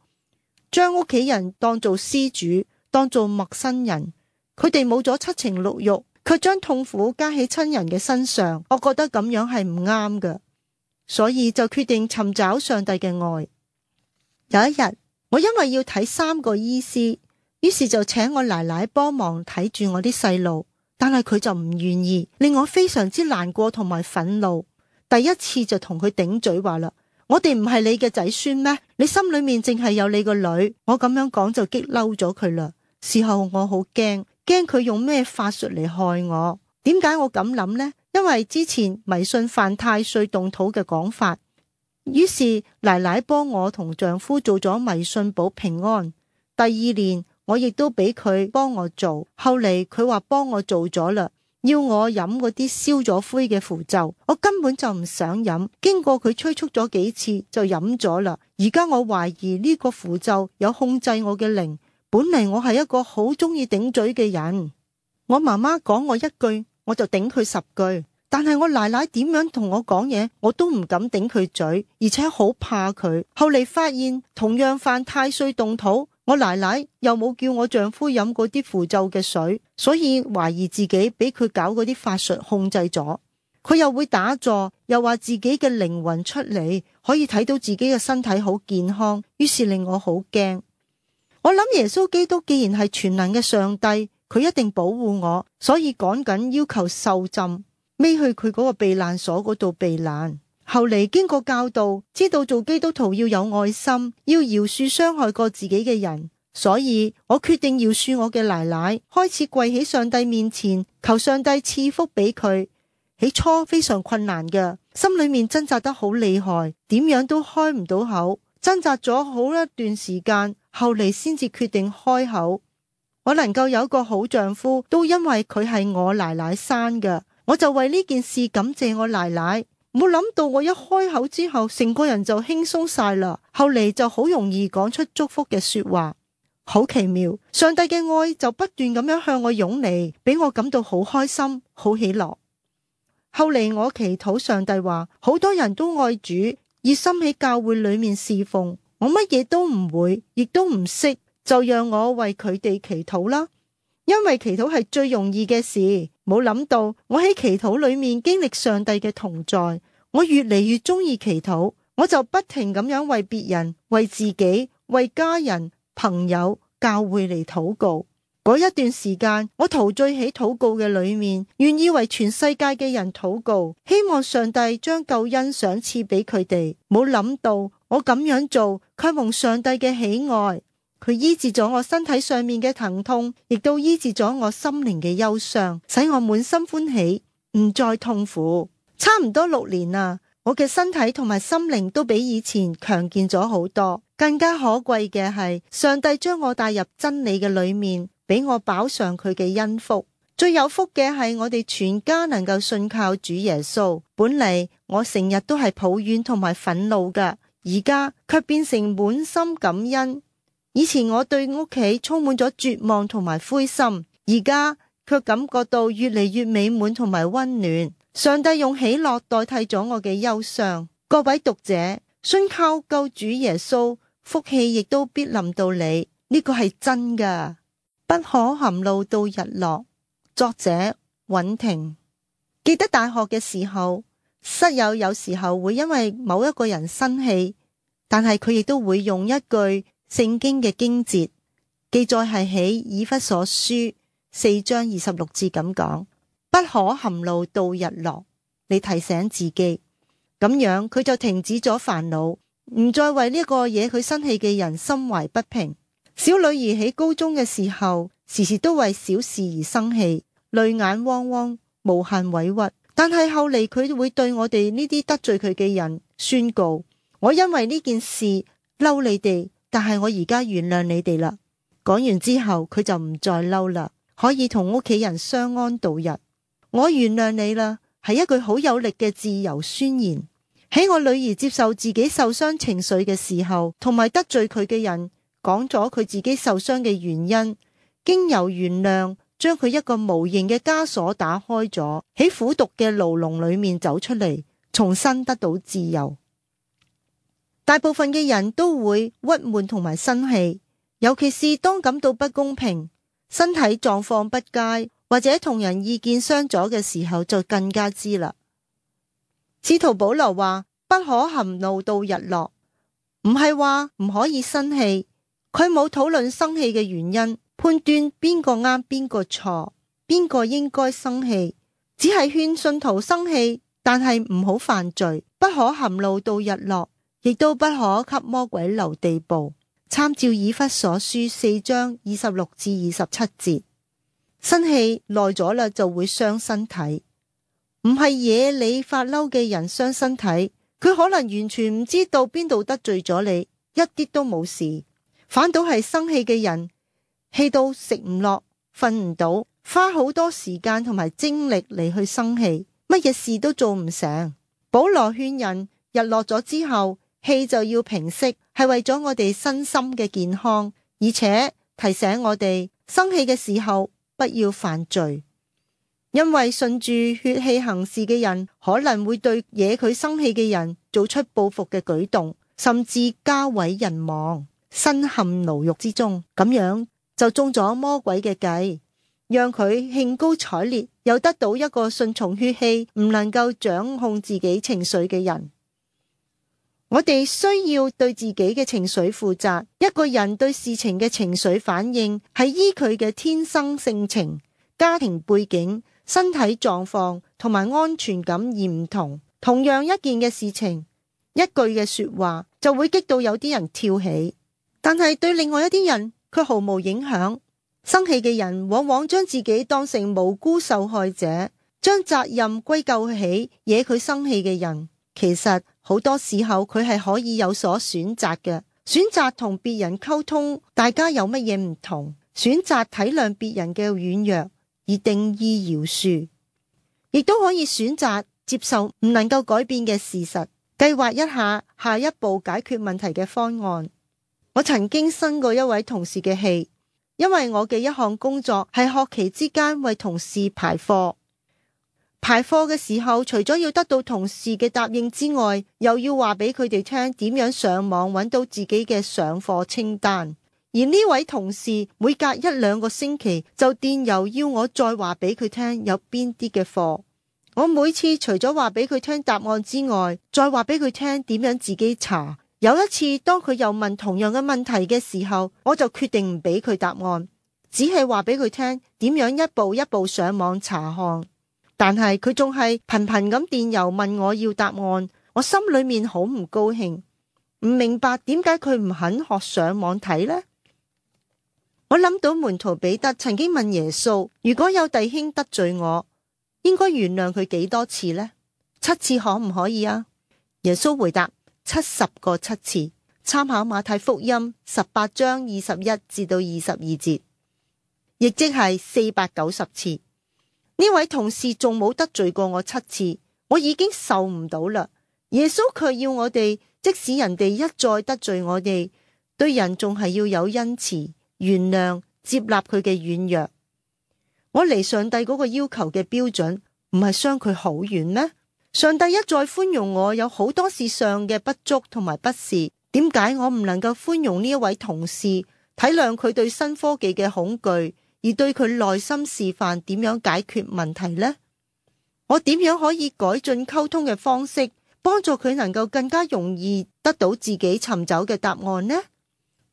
將屋企人當做施主，當做陌生人。佢哋冇咗7情6欲，卻將痛苦加喺親人嘅身上。我覺得咁樣係唔啱嘅，所以就決定尋找上帝嘅愛。有一日，我因為要睇3個醫師，於是就請我奶奶幫忙睇住我啲細路，但係佢就唔願意，令我非常之難過同埋憤怒。第一次就同佢頂嘴話啦，我哋唔係你嘅仔孫咩？你心裏面淨係有你個女。我咁樣講就激嬲咗佢啦。事後我好驚佢用咩法術嚟害我。點解我咁諗呢？因為之前迷信犯太歲動土嘅講法，於是奶奶幫我同丈夫做咗迷信保平安。第2年我亦都俾佢幫我做，後嚟佢話幫我做咗啦，要我飲嗰啲燒咗灰嘅符咒，我根本就唔想飲，經過佢催促咗幾次就飲咗啦。而家我懷疑呢個符咒有控制我嘅靈。本嚟我係一個好中意頂嘴嘅人，我媽媽講我一句我就頂佢10句，但係我奶奶點樣同我講嘢我都唔敢頂佢嘴，而且好怕佢。後嚟發現同樣犯太歲動土，我奶奶又冇叫我丈夫飲嗰啲符咒嘅水，所以懷疑自己俾佢搞嗰啲法術控制咗。佢又會打坐，又話自己嘅靈魂出嚟，可以睇到自己嘅身體好健康，於是令我好驚。我諗耶穌基督既然係全能嘅上帝，佢一定保護我，所以趕緊要求受浸，匿去佢嗰個避難所嗰度避難。後嚟經過教導，知道做基督徒要有愛心，要饒恕傷害過自己嘅人，所以我決定饒恕我嘅奶奶，開始跪喺上帝面前，求上帝賜福俾佢。起初非常困難嘅，心裏面掙扎得好厲害，點樣都開唔到口，掙扎咗好一段時間，後嚟先至決定開口。我能夠有個好丈夫，都因為佢係我奶奶生嘅，我就為呢件事感謝我奶奶。冇諗到我一開口之後，成個人就輕鬆晒啦。後嚟就好容易講出祝福嘅說話，好奇妙。上帝嘅愛就不斷咁樣向我湧嚟，俾我感到好開心，好喜樂。後嚟我祈禱上帝話，好多人都愛主，熱心喺教會裏面侍奉，我乜嘢都唔會，亦都唔識，就讓我為佢哋祈禱啦。因為祈禱係最容易嘅事，冇諗到我喺祈禱裏面經歷上帝嘅同在，我越嚟越中意祈禱，我就不停咁樣為別人、為自己、為家人、朋友、教會嚟禱告。嗰一段時間，我陶醉喺禱告嘅裏面，願意為全世界嘅人禱告，希望上帝將救恩賞賜俾佢哋。冇諗到我咁樣做，卻蒙上帝嘅喜愛，佢醫治咗我身體上面嘅疼痛，亦都醫治咗我心靈嘅憂傷，使我滿心歡喜，唔再痛苦。差唔多6年啦，我嘅身體同埋心靈都比以前強健咗好多。更加可貴嘅係，上帝將我帶入真理嘅裏面，俾我飽嘗佢嘅恩福。最有福嘅係我哋全家能夠信靠主耶穌。本嚟我成日都係抱怨同埋憤怒㗎，而家卻變成滿心感恩。以前我對屋企充滿咗絕望同埋灰心，而家卻感覺到越嚟越美滿同埋溫暖。上帝用喜樂代替咗我嘅憂傷。各位讀者，信靠救主耶穌，福氣亦都必臨到你，呢個係真㗎。不可含怒到日落。作者尹婷。記得大學嘅時候，室友有時候會因為某一個人生氣，但係佢亦都會用一句聖經嘅經節，記載係喺以弗所書4章26節咁講，不可含怒到日落，你提醒自己，咁樣佢就停止咗煩惱，唔再為呢個惹佢生氣嘅人心懷不平。小女兒喺高中嘅時候，時時都為小事而生氣，淚眼汪汪，無限委屈。但係後嚟佢會對我哋呢啲得罪佢嘅人宣告，我因為呢件事嬲你哋，但係我而家原諒你哋啦。講完之後佢就唔再嬲啦，可以同屋企人相安度日。我原諒你啦，係一句好有力嘅自由宣言。喺我女兒接受自己受傷情緒嘅時候，同埋得罪佢嘅人講咗佢自己受傷嘅原因，經由原諒將佢一個無形嘅枷鎖打開咗，喺苦毒嘅牢籠裏面走出嚟，重新得到自由。大部分嘅人都會鬱悶同埋生氣，尤其是當感到不公平、身體狀況不佳或者同人意見相左嘅時候，就更加知啦。使徒保羅話不可含怒到日落，唔係話唔可以生氣，佢冇討論生氣嘅原因，判斷邊個啱邊個錯，邊個應該生氣，只係勸信徒生氣，但係唔好犯罪，不可含怒到日落，亦都不可給魔鬼留地步。參照以弗所書4章26至27節。生氣耐咗啦就會傷身體，唔係惹你發嬲嘅人傷身體，佢可能完全唔知道邊度得罪咗你，一啲都冇事。反倒係生氣嘅人，氣到食唔落、瞓唔到，花好多時間同埋精力嚟去生氣，乜嘢事都做唔成。保羅勸人日落咗之後，氣就要平息，係為咗我哋身心嘅健康，而且提醒我哋生氣嘅時候不要犯罪，因為順住血氣行事嘅人可能會對惹佢生氣嘅人做出報復嘅舉動，甚至家毀人亡，身陷牢獄之中，咁樣就中咗魔鬼嘅計，讓佢興高采烈，又得到一個順從血氣唔能夠掌控自己情緒嘅人。我哋需要對自己嘅情緒負責。一個人對事情嘅情緒反應係依佢嘅天生性情、家庭背景、身體狀況同埋安全感而唔同。同樣一件嘅事情，一句嘅說話就會激到有啲人跳起，但係對另外一啲人卻毫無影響。生氣嘅人往往將自己當成無辜受害者，將責任歸咎起惹佢生氣嘅人。其實好多時候佢係可以有所選擇嘅，選擇同別人溝通，大家有乜嘢唔同，選擇體諒別人嘅軟弱而定義饒恕，亦都可以選擇接受唔能夠改變嘅事實，計劃一下一步解決問題嘅方案。我曾經生過一位同事嘅氣，因為我嘅一項工作係學期之間為同事排課。排課嘅時候，除咗要得到同事嘅答應之外，又要話俾佢哋聽點樣上網揾到自己嘅上課清單。而呢位同事每隔1-2個星期就電郵要我再話俾佢聽有邊啲嘅課。我每次除咗話俾佢聽答案之外，再話俾佢聽點樣自己查。有一次當佢又問同樣嘅問題嘅時候，我就決定唔俾佢答案，只係話俾佢聽點樣一步一步上網查看。但係佢仲係頻頻咁電郵問我要答案，我心裏面好唔高興，唔明白點解佢唔肯學上網睇呢？我諗到門徒彼得曾經問耶穌，如果有弟兄得罪我，應該原諒佢幾多次呢？7次可唔可以啊？耶穌回答70個7次，參考馬太福音18章21至到22節，亦即係490次。呢位同事仲冇得罪過我7次，我已經受唔到啦。耶穌卻要我哋，即使人哋一再得罪我哋，對人仲係要有恩慈、原諒、接納佢嘅軟弱。我離上帝嗰個要求嘅標準，唔係相距好遠咩？上帝一再寬容我有好多事上嘅不足同埋不是，點解我唔能夠寬容呢一位同事，體諒佢對新科技嘅恐懼，而對佢內心示範點樣解決問題呢？我點樣可以改進溝通嘅方式，幫助佢能夠更加容易得到自己尋找嘅答案呢？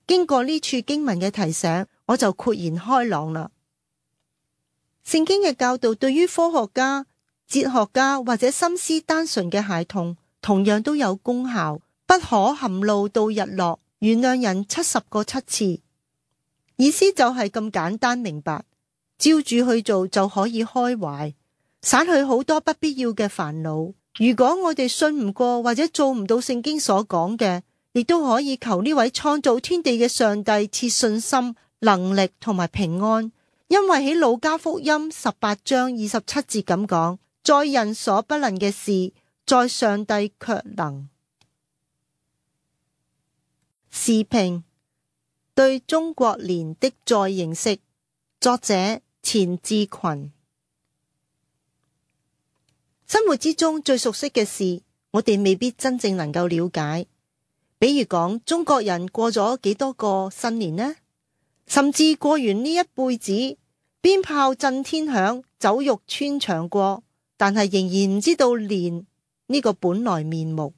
經過呢處經文嘅提醒，我就豁然開朗啦。聖經嘅教導對於科學家、哲學家或者心思單純嘅孩童同樣都有功效。不可含怒到日落，原諒人70個7次。意思就係咁簡單明白，照住去做就可以開懷，省去好多不必要嘅煩惱。如果我哋信唔過或者做唔到聖經所講嘅，亦都可以求呢位創造天地嘅上帝賜信心、能力同埋平安。因為喺路加福音18章27節咁講，在人所不能嘅事，在上帝卻能。時評：對中國年的再認識，作者錢志群。生活之中最熟悉嘅事，我哋未必真正能夠了解。比如講，中國人過咗幾多個新年呢？甚至過完呢一輩子，鞭炮震天響，酒肉穿腸過，但係仍然唔知道年呢個本來面目。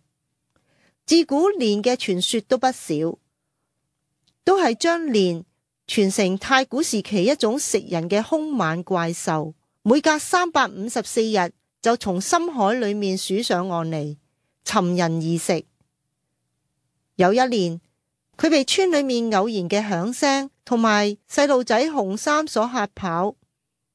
自古年嘅傳說都不少，都係將年傳成太古時期一種食人嘅兇猛怪獸，每隔354日就從深海裏面鼠上岸嚟，尋人而食。有一年，佢被村裏面偶然嘅響聲同埋細路仔紅衫所嚇跑，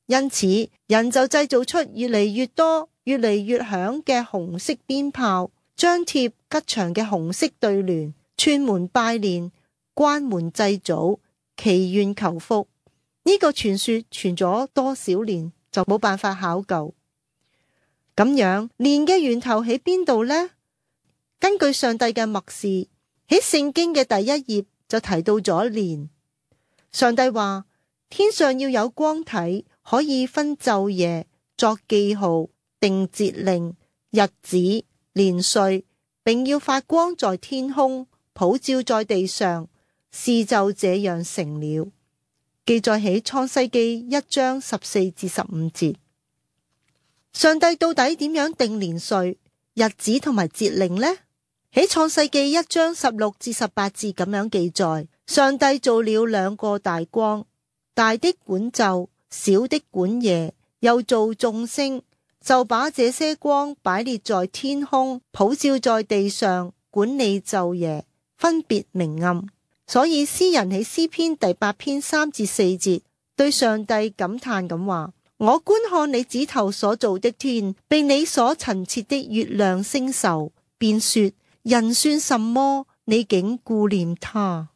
因此人就製造出越嚟越多、越嚟越響嘅紅色鞭炮，張貼吉祥嘅紅色對聯，串門拜年，關門祭祖，祈願求福。呢個傳說傳咗多少年就冇辦法考究。咁樣，年嘅源頭喺邊度呢？根據上帝嘅默示，喺聖經嘅第1頁就提到咗年。上帝話，天上要有光體，可以分晝夜，作記號，定節令、日子、年歲，並要發光在天空，普照在地上，事就這樣成了。記載喺創世記1章14至15節。上帝到底點樣定年歲、日子同埋節令呢？喺創世記1章16至18節咁樣記載，上帝造了2個大光，大的管晝，小的管夜，又造眾星，就把這些光擺列在天空，普照在地上，管理晝夜，分別明暗。所以詩人喺詩篇第8篇3至4節對上帝感嘆咁話：我觀看你指頭所造的天，並你所陳設的月亮星宿，便說，人算什麼？你竟顧念他。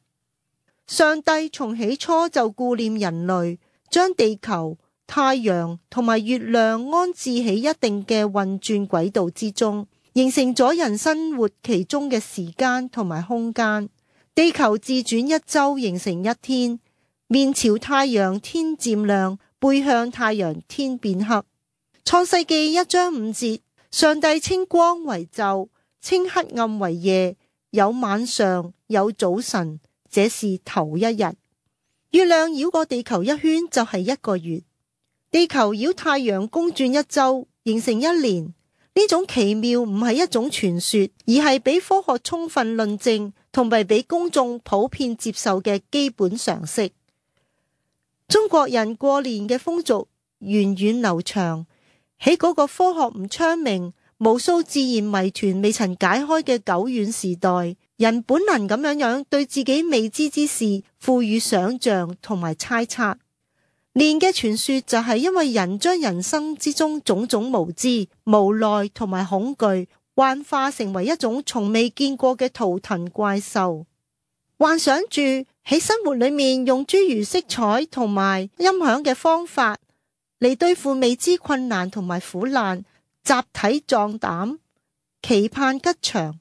上帝從起初就顧念人類，將地球、太陽同埋月亮安置喺一定嘅運轉軌道之中，形成咗人生活其中嘅時間同埋空間。地球自轉一周形成一天，面朝太陽天漸亮，背向太陽天變黑。創世記1章5節，上帝稱光為晝，稱黑暗為夜，有晚上，有早晨，這是頭一日。月亮繞過地球一圈就係1個月，地球繞太陽公轉一周形成一年。呢種奇妙唔係一種傳說，而係俾科學充分論證同埋俾公眾普遍接受嘅基本常識。中國人過年嘅風俗源遠流長，喺嗰個科學唔昌明、無數自然謎團未曾解開嘅久遠時代，人本能咁樣對自己未知之事賦予想象同埋猜測。年嘅傳說就係因為人將人生之中種種無知、無奈同埋恐懼幻化成為一種從未見過嘅圖騰怪獸，幻想住喺生活裏面用諸如色彩同埋音響嘅方法嚟對付未知困難同埋苦難，集體壯膽，期盼吉祥。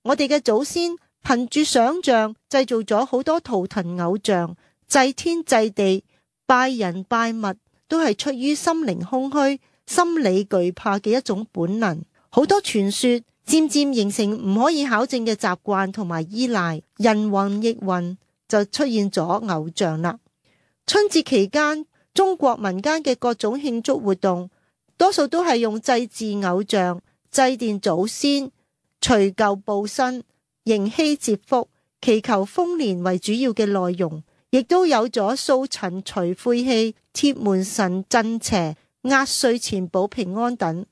我哋嘅祖先憑住想象製造咗好多圖騰偶像，祭天祭地，拜人拜物，都係出於心靈空虛、心理懼怕嘅一種本能。好多傳說漸漸形成唔可以考證嘅習慣同埋依賴，人云亦云，就出現咗偶像啦。春節期間，中國民間嘅各種慶祝活動，多數都係用祭祀偶像、祭奠祖先、除舊布新、迎禧接福、祈求豐年為主要嘅內容，亦都有咗掃塵除晦氣、貼門神鎮邪、壓歲錢保平安等。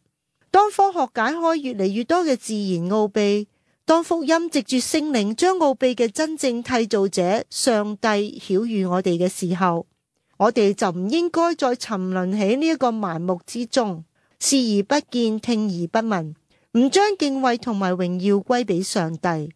當科學解開越嚟越多嘅自然奧秘，當福音藉住聖靈將奧秘嘅真正締造者上帝曉諭我哋嘅時候，我哋就唔應該再沉淪喺呢一個盲目之中，視而不見，聽而不聞，唔將敬畏同埋榮耀歸俾上帝。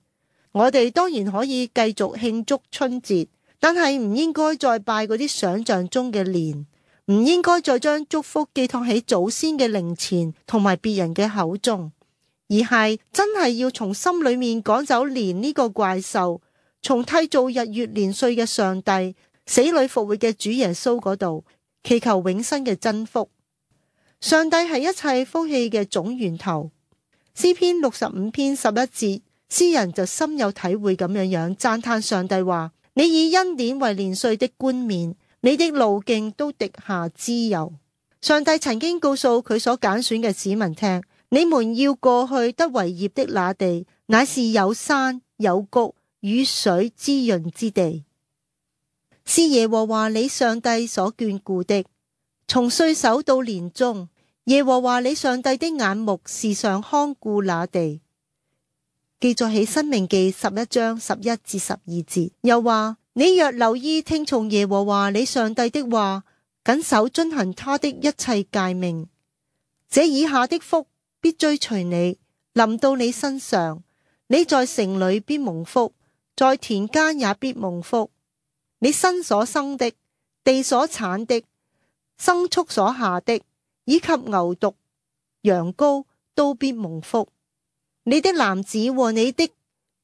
我哋當然可以繼續慶祝春節，但係唔應該再拜嗰啲想象中嘅年，唔應該再將祝福寄託喺祖先嘅靈前同埋別人嘅口中，而係真係要從心裏面趕走年呢個怪獸，從締造日月年歲嘅上帝、死裏復活嘅主耶穌嗰度祈求永生嘅真福。上帝係一切福氣嘅總源頭。詩篇65篇11節，詩人就深有體會咁樣讚嘆上帝話：你以恩典為年歲的冠冕，你的路徑都滴下脂油。上帝曾經告訴佢所揀選嘅子民聽：你們要過去得為業的那地，乃是有山有谷、雨水滋潤之地，是耶和華你上帝所眷顧的。從歲首到年終，耶和華你上帝的眼目時常看顧那地。記載喺申命記11章11至12節，又話：你若留意聽從耶和華你上帝的話，謹守遵行他的一切誡命，這以下的福必追隨你，臨到你身上。你在城裏必蒙福，在田間也必蒙福。你身所生的，地所產的，牲畜所下的，以及牛犢、羊羔都必蒙福。你的籃子和你的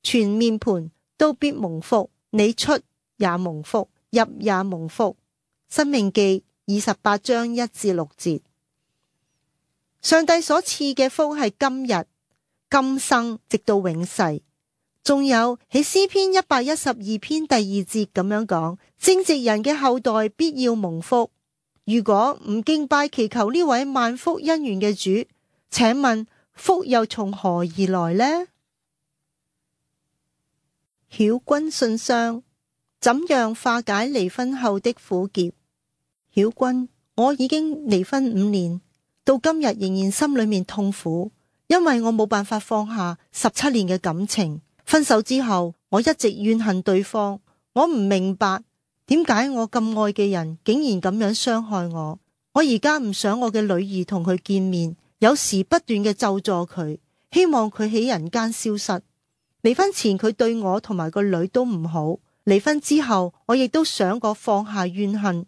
全面盤都必蒙福，你出也蒙福，入也蒙福。申命記28章1至6節。上帝所賜嘅福係今日、今生，直到永世。仲有喺詩篇112篇第2節咁樣講：正直人嘅後代必要蒙福。如果唔敬拜祈求呢位萬福恩源嘅主，請問福又從何而來呢？曉君信箱，怎樣化解離婚後的苦澀？曉君，我已經離婚5年，到今日仍然心裏面痛苦，因為我冇辦法放下17年嘅感情。分手之後，我一直怨恨對方，我唔明白點解我咁愛嘅人竟然咁樣傷害我。我而家唔想我嘅女兒同佢見面，有時不斷嘅咒詛佢，希望佢喺人間消失。離婚前佢對我同埋個女都唔好，離婚之後我亦都想過放下怨恨，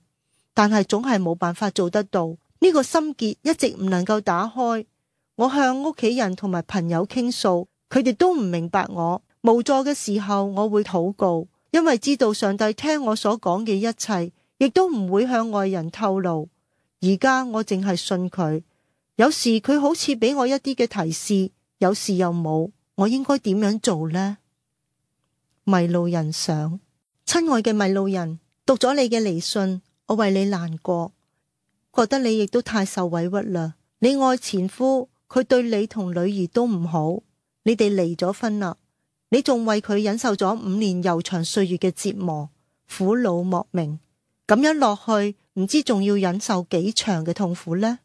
但係總係冇辦法做得到。呢個心結一直唔能夠打開。我向屋企人同埋朋友傾訴，佢哋都唔明白我。無助嘅時候我會禱告，因為知道上帝聽我所講嘅一切，亦都唔會向外人透露。而家我淨係信佢，有時佢好似俾我一啲嘅提示，有時又冇。我應該點樣做呢？迷路人想，親愛嘅迷路人，讀咗你嘅離信，我為你難過，覺得你亦都太受委屈啦。你愛前夫，佢對你同女兒都唔好，你哋離咗婚啦。你仲為佢忍受咗5年悠長歲月嘅折磨，苦惱莫名，咁樣落去，唔知仲要忍受幾長嘅痛苦呢？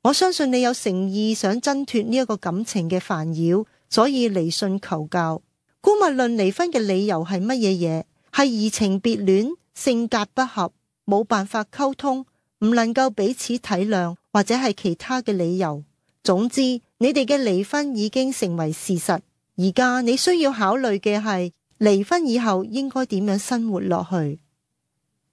我相信你有誠意想掙脫呢一個感情嘅煩擾，所以離信求教。姑勿論離婚嘅理由係乜嘢嘢，係移情別戀、性格不合、冇辦法溝通、唔能夠彼此體諒，或者係其他嘅理由。總之，你哋嘅離婚已經成為事實。而家你需要考慮嘅係離婚以後應該點樣生活落去，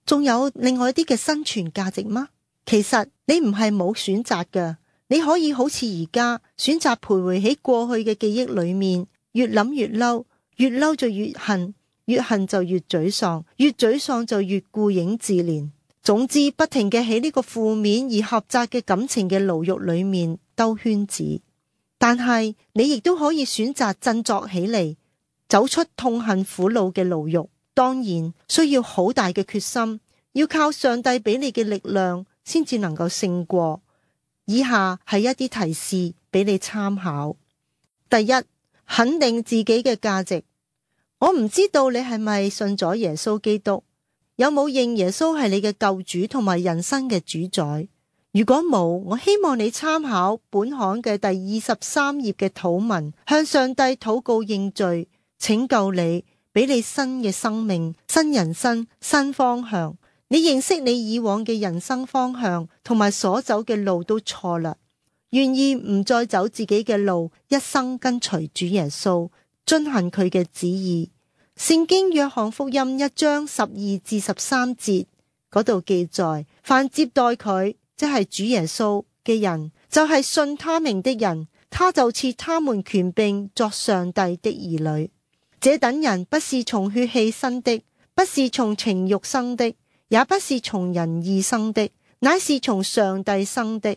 仲有另外一啲嘅生存價值嗎？其實你唔係冇選擇㗎，你可以好似而家選擇徘徊喺過去嘅記憶裏面，越諗越嬲，越嬲就越恨，越恨就越沮喪，越沮喪就越顧影自憐。總之，不停嘅喺呢個負面而狹窄嘅感情嘅牢獄裏面兜圈子。但係你亦都可以選擇振作起嚟，走出痛恨苦惱嘅牢獄。當然需要好大嘅決心，要靠上帝俾你嘅力量先至能夠勝過。以下係一啲提示俾你參考。第一，肯定自己嘅價值。我唔知道你係咪信咗耶穌基督，有冇認耶穌係你嘅救主同埋人生嘅主宰？如果冇，我希望你參考本刊嘅第23頁嘅禱文，向上帝禱告認罪，拯救你，俾你新嘅生命、新人生、新方向。你認識你以往嘅人生方向同埋所走嘅路都錯啦，願意唔再走自己嘅路，一生跟隨主耶穌，遵行佢嘅旨意。聖經約翰福音1章12至13節嗰度記載，凡接待佢，即係主耶穌嘅人，就係信他名的人，他就賜他們權柄作上帝的兒女。這等人不是從血氣生的，不是從情慾生的，也不是從人意生的，乃是從上帝生的。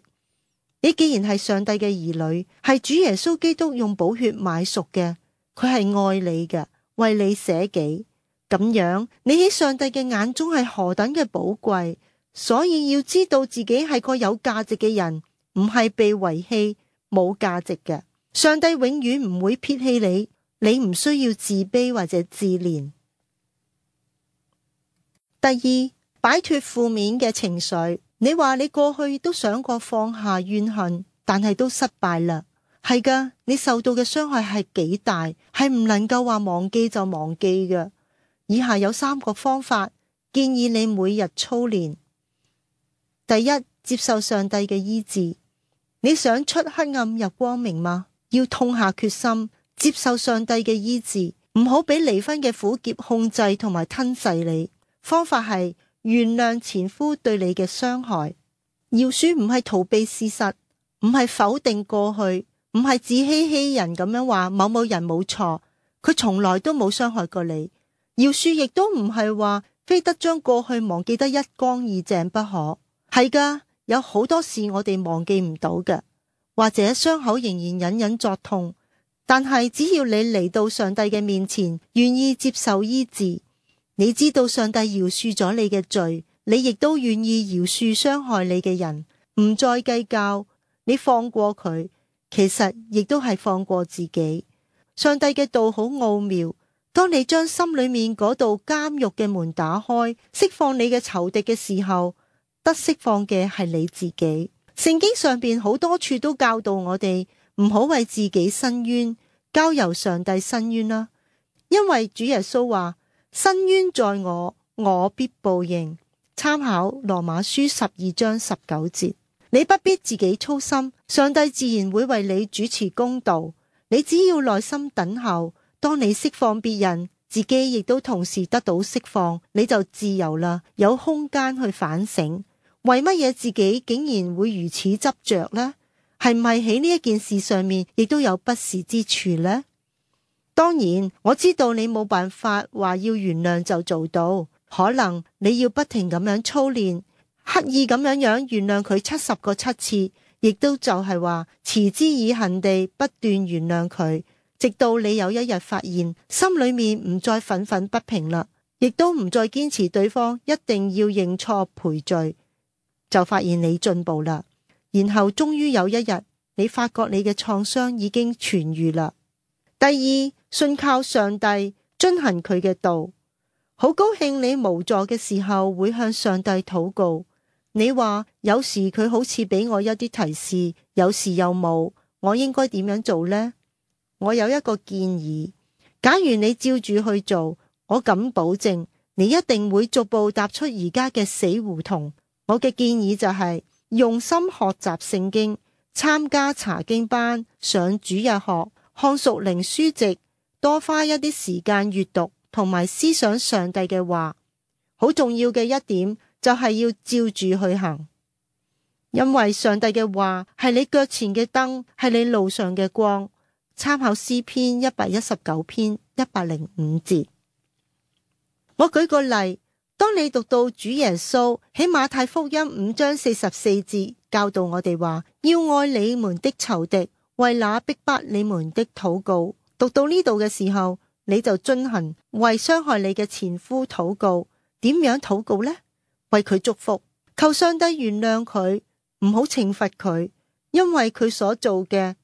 你既然係上帝嘅兒女，係主耶穌基督用寶血買贖嘅，佢係愛你嘅，為你捨己。咁樣你喺上帝嘅眼中係何等嘅寶貴。所以要知道自己係個有價值嘅人，唔係被遺棄冇價值嘅。上帝永遠唔會撇棄你，你唔需要自卑或者自憐。第二，擺脫負面嘅情緒。你話你過去都想過放下怨恨，但係都失敗啦。係噶，你受到嘅傷害係幾大，係唔能夠話忘記就忘記嘅。以下有3個方法，建議你每日操練。第一，接受上帝嘅醫治。你想出黑暗入光明嗎？要痛下決心，接受上帝嘅醫治，唔好俾離婚嘅苦澀控制同埋吞噬你。方法係原諒前夫對你嘅傷害。饒恕唔係逃避事實，唔係否定過去，唔係自欺欺人咁樣話某某人冇錯，佢從來都冇傷害過你。饒恕亦都唔係話非得將過去忘記得一乾二淨不可。係噶，有好多事我哋忘記唔到嘅，或者傷口仍然隱隱作痛，但係只要你嚟到上帝嘅面前，願意接受醫治，你知道上帝饒恕咗你嘅罪，你亦都願意饒恕傷害你嘅人，唔再計較，你放過佢，其實亦都係放過自己。上帝嘅道好奧妙，當你將心裏面嗰道監獄嘅門打開，釋放你嘅仇敵嘅時候，得釋放嘅係你自己。聖經上邊好多處都教導我哋唔好為自己申冤，交由上帝申冤啦。因為主耶穌話：申冤在我，我必報應。參考羅馬書12章19節。你不必自己操心，上帝自然會為你主持公道。你只要耐心等候，當你釋放別人，自己亦都同時得到釋放，你就自由啦，有空間去反省。為乜嘢自己竟然會如此執着呢？係唔係喺呢一件事上面亦都有不是之處呢？當然，我知道你冇辦法話要原諒就做到，可能你要不停咁樣操練，刻意咁樣原諒佢70個7次，亦都就係話持之以恆地不斷原諒佢，直到你有一日發現心裏面唔再憤憤不平啦，亦都唔再堅持對方一定要認錯賠罪。就發現你進步啦，然後終於有一日，你發覺你嘅創傷已經痊癒啦。第二，信靠上帝，遵行佢嘅道。好高興你無助嘅時候會向上帝禱告。你話有時佢好似俾我一啲提示，有時又冇，我應該點樣做呢？我有一個建議，假如你照住去做，我敢保證你一定會逐步踏出而家嘅死胡同。我嘅建議就係用心學習聖經，參加查經班，上主日學，看屬靈書籍，多花一啲時間閱讀同埋思想上帝嘅話。好重要嘅一點就係要照住去行。因為上帝嘅話係你腳前嘅燈，係你路上嘅光。參考詩篇119篇105節。我舉個例，當你讀到主耶穌喺馬太福音5章44節教導我哋話，要愛你們的仇敵，為那逼迫你們的禱告。讀到呢度嘅時候，你就遵行為傷害你嘅前夫禱告。點樣禱告呢？為佢祝福，求上帝原諒佢，唔好懲罰佢，因為佢所做嘅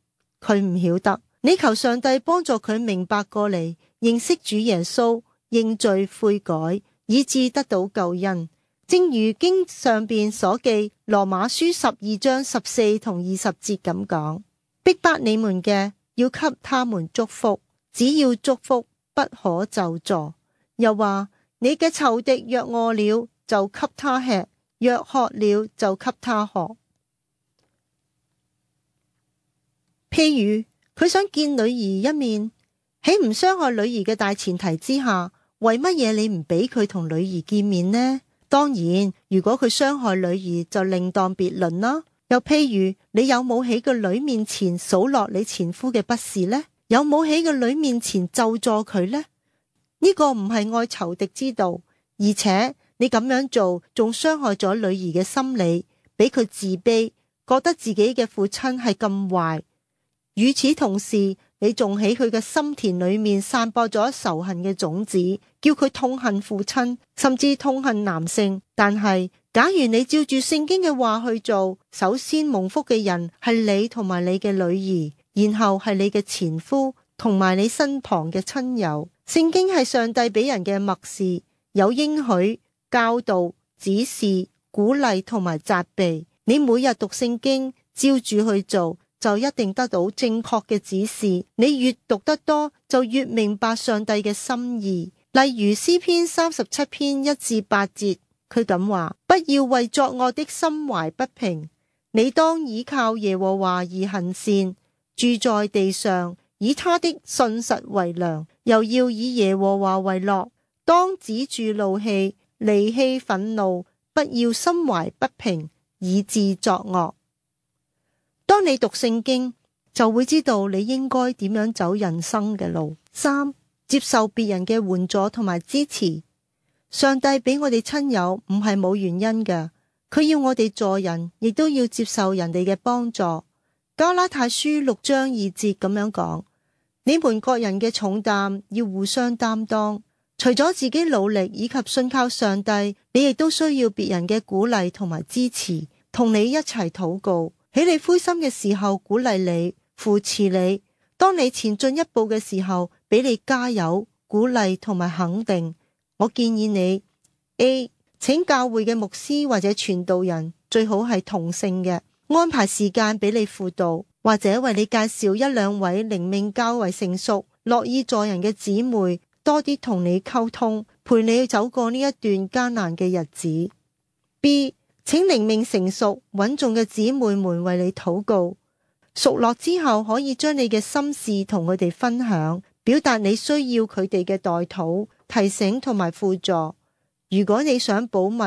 佢唔曉得。你求上帝幫助佢明白過嚟，認識主耶穌，認罪悔改，以致得到救恩。正如經上邊所記，羅馬書12章14同20節咁講，逼迫你們嘅要給他們祝福，只要祝福，不可咒詛。又話，你嘅仇敵若餓了就給他吃，若渴了就給他喝。譬如佢想見女兒一面，喺唔傷害女兒嘅大前提之下，為乜嘢你唔俾佢同女兒見面呢？當然，如果佢傷害女兒就另當別論啦。又譬如你有冇喺個女面前數落你前夫嘅不是呢？有冇喺個女面前咒詛佢呢？呢個唔係愛仇敵之道，而且你咁樣做仲傷害咗女兒嘅心理，俾佢自卑，覺得自己嘅父親係咁壞。與此同時，你仲喺佢嘅心田裏面散播咗仇恨嘅種子，叫佢痛恨父親，甚至痛恨男性。但係假如你照住聖經嘅話去做，首先蒙福嘅人係你同埋你嘅女兒，然後係你嘅前夫同埋你身旁嘅親友。聖經係上帝俾人嘅默示，有應許、教導、指示、鼓勵同埋責備。你每日讀聖經，照住去做，就一定得到正確嘅指示。你越讀得多，就越明白上帝嘅心意。例如詩篇37篇1至8節，佢咁話：不要為作惡的心懷不平，你當倚靠耶和華而行善，住在地上，以他的信實為糧，又要以耶和華為樂。當止住怒氣，離棄憤怒，不要心懷不平，以致作惡。當你讀聖經，就會知道你應該點樣走人生嘅路。3、接受別人嘅援助同埋支持。上帝俾我哋親友唔係冇原因嘅，佢要我哋助人，亦都要接受人哋嘅幫助。加拉太書6章2節咁樣講：你們各人嘅重擔要互相擔當，除咗自己努力以及信靠上帝，你亦都需要別人嘅鼓勵同埋支持，同你一齊禱告。喺你灰心嘅時候鼓勵你，扶持你；當你前進一步嘅時候，俾你加油、鼓勵同埋肯定。我建議你 A 請教會嘅牧師或者傳道人，最好係同性嘅，安排時間俾你輔導，或者為你介紹一兩位靈命較為成熟、樂意助人嘅姊妹，多啲同你溝通，陪你走過呢一段艱難嘅日子。B請靈命成熟穩重嘅姊妹們為你禱告，熟絡之後可以將你嘅心事同佢哋分享，表達你需要佢哋嘅代禱、提醒同埋輔助。如果你想保密，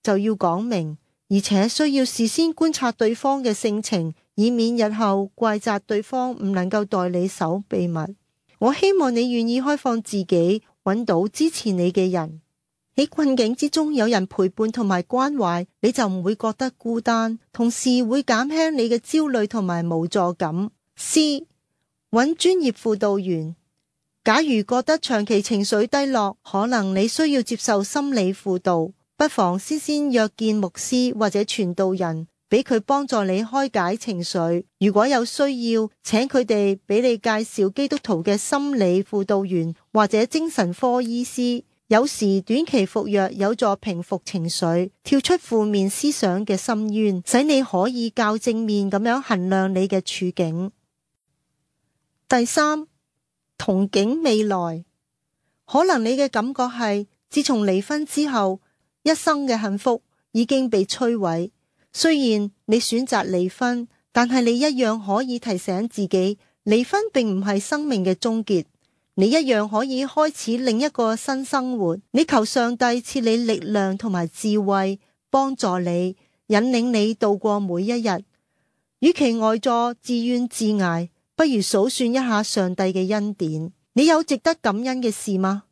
就要講明，而且需要事先觀察對方嘅性情，以免日後怪責對方唔能夠代你守秘密。我希望你願意開放自己，揾到支持你嘅人。喺困境之中有人陪伴同埋關懷，你就唔會覺得孤單，同時會減輕你嘅焦慮同埋無助感。C 揾專業輔導員。假如覺得長期情緒低落，可能你需要接受心理輔導，不妨先約見牧師或者傳道人，俾佢幫助你開解情緒。如果有需要，請佢哋俾你介紹基督徒嘅心理輔導員或者精神科醫師。有時短期服藥有助平復情緒，跳出負面思想嘅深淵，使你可以較正面咁樣衡量你嘅處境。第3，憧憬未來。可能你嘅感覺係，自從離婚之後，一生嘅幸福已經被摧毀。雖然你選擇離婚，但係你一樣可以提醒自己，離婚並唔係生命嘅終結。你一樣可以開始另一個新生活。你求上帝賜你力量同埋智慧，幫助你引領你度過每一日。與其呆坐自怨自艾，不如數算一下上帝嘅恩典。你有值得感恩嘅事嗎？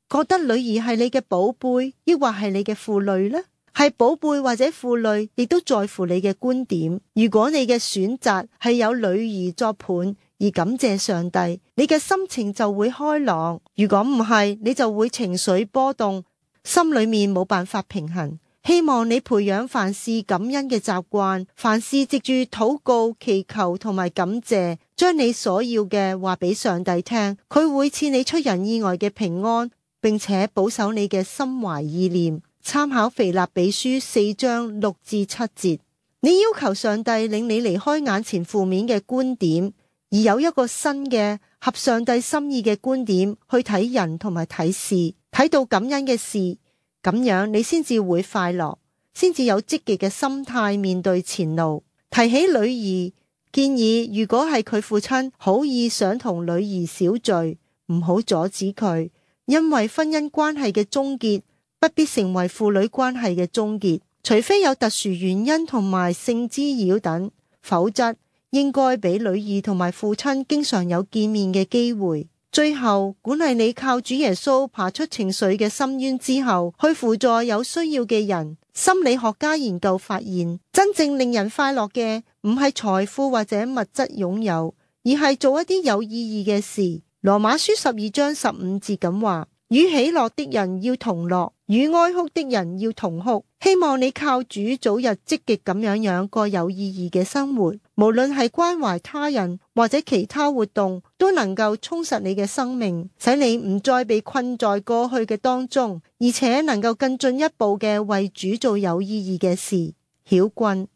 覺得女兒係你嘅寶貝，抑或係你嘅負累呢？係寶貝或者負累，亦都在乎你嘅觀點。如果你嘅選擇係有女兒作伴而感謝上帝，你嘅心情就會開朗；如果唔係，你就會情緒波動，心裏面冇辦法平衡。希望你培養凡事感恩嘅習慣，凡事藉住禱告、祈求同埋感謝，將你所要嘅話俾上帝聽，佢會賜你出人意外嘅平安，並且保守你嘅心懷意念。參考腓立比書4章6至7節。你要求上帝領你離開眼前負面嘅觀點，而有一個新嘅合上帝心意嘅觀點去睇人同埋睇事，睇到感恩嘅事。咁樣你先至會快樂，先至有積極嘅心態面對前路。提起女兒，建議如果係佢父親好意想同女兒小聚，唔好阻止佢，因為婚姻關係嘅終結不必成為父女關係嘅終結，除非有特殊原因同埋性滋擾等，否則應該俾女兒同埋父親經常有見面嘅機會。最後，鼓勵你靠主耶穌爬出情緒嘅深淵之後，去輔助有需要嘅人。心理學家研究發現，真正令人快樂嘅唔係財富或者物質擁有，而係做一啲有意義嘅事。羅馬書12章15節咁話：與喜樂的人要同樂，與哀哭的人要同哭。希望你靠主早日積極咁樣過有意義嘅生活，無論係關懷他人或者其他活動，都能夠充實你嘅生命，使你唔再被困在過去嘅當中，而且能夠更進一步嘅為主做有意義嘅事。曉君，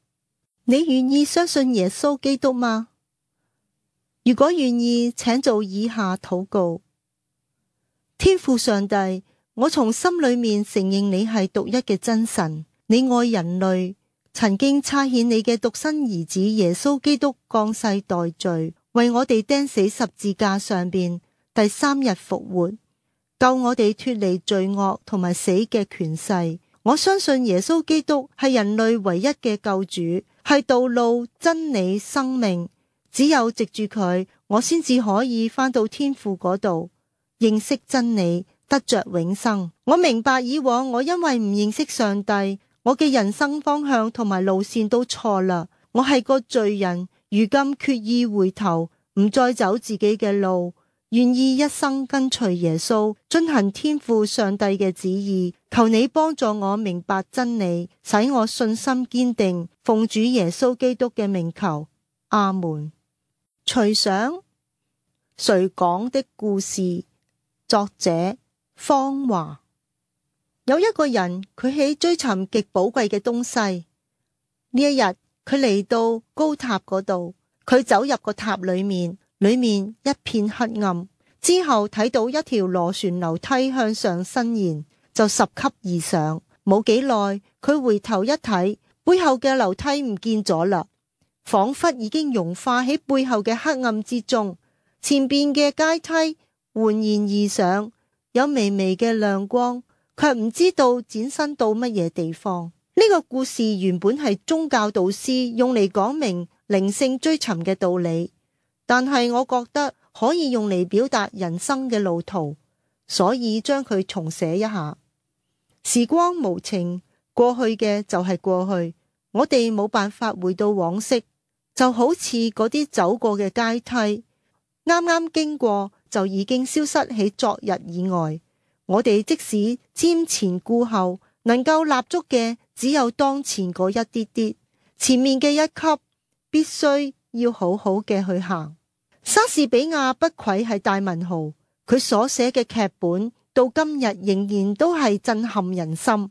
你願意相信耶穌基督嗎？如果願意，請做以下禱告。天父上帝，我從心裏面承認你係獨一嘅真神，你愛人類，曾經差遣你嘅獨生兒子耶穌基督降世代罪，為我哋釘死十字架上邊，第3日復活，救我哋脫離罪惡同埋死嘅權勢。我相信耶穌基督係人類唯一嘅救主，係道路、真理、生命。只有藉住佢，我先至可以返到天父嗰度，認識真理，得着永生。我明白以往我因為唔認識上帝，我嘅人生方向同埋路線都錯啦。我係個罪人，如今決意回頭，唔再走自己嘅路，願意一生跟隨耶穌，遵行天父上帝嘅旨意。求你幫助我明白真理，使我信心堅定。奉主耶穌基督嘅名求，阿門。隨想誰講的故事，作者方華。有一個人，佢喺追尋極寶貴嘅東西。呢一日，佢嚟到高塔嗰度，佢走入個塔裏面一片黑暗。之後睇到一條螺旋樓梯向上伸延，就10級而上。冇幾耐，佢回頭一睇，背後嘅樓梯唔見咗啦，仿佛已經融化喺背後嘅黑暗之中。前邊嘅階梯緩然而上，有微微嘅亮光，卻唔知道展伸到乜嘢地方。呢個故事原本係宗教導師用嚟講明靈性追尋嘅道理，但係我覺得可以用嚟表達人生嘅路途，所以將佢重寫一下。時光無情，過去嘅就係過去，我哋冇辦法回到往昔，就好似嗰啲走過嘅階梯，啱啱經過就已經消失喺昨日以外。我哋即使瞻前顧後，能夠立足嘅只有當前嗰一啲啲，前面嘅一級必須要好好嘅去行。莎士比亞不愧係大文豪，佢所寫嘅劇本到今日仍然都係震撼人心。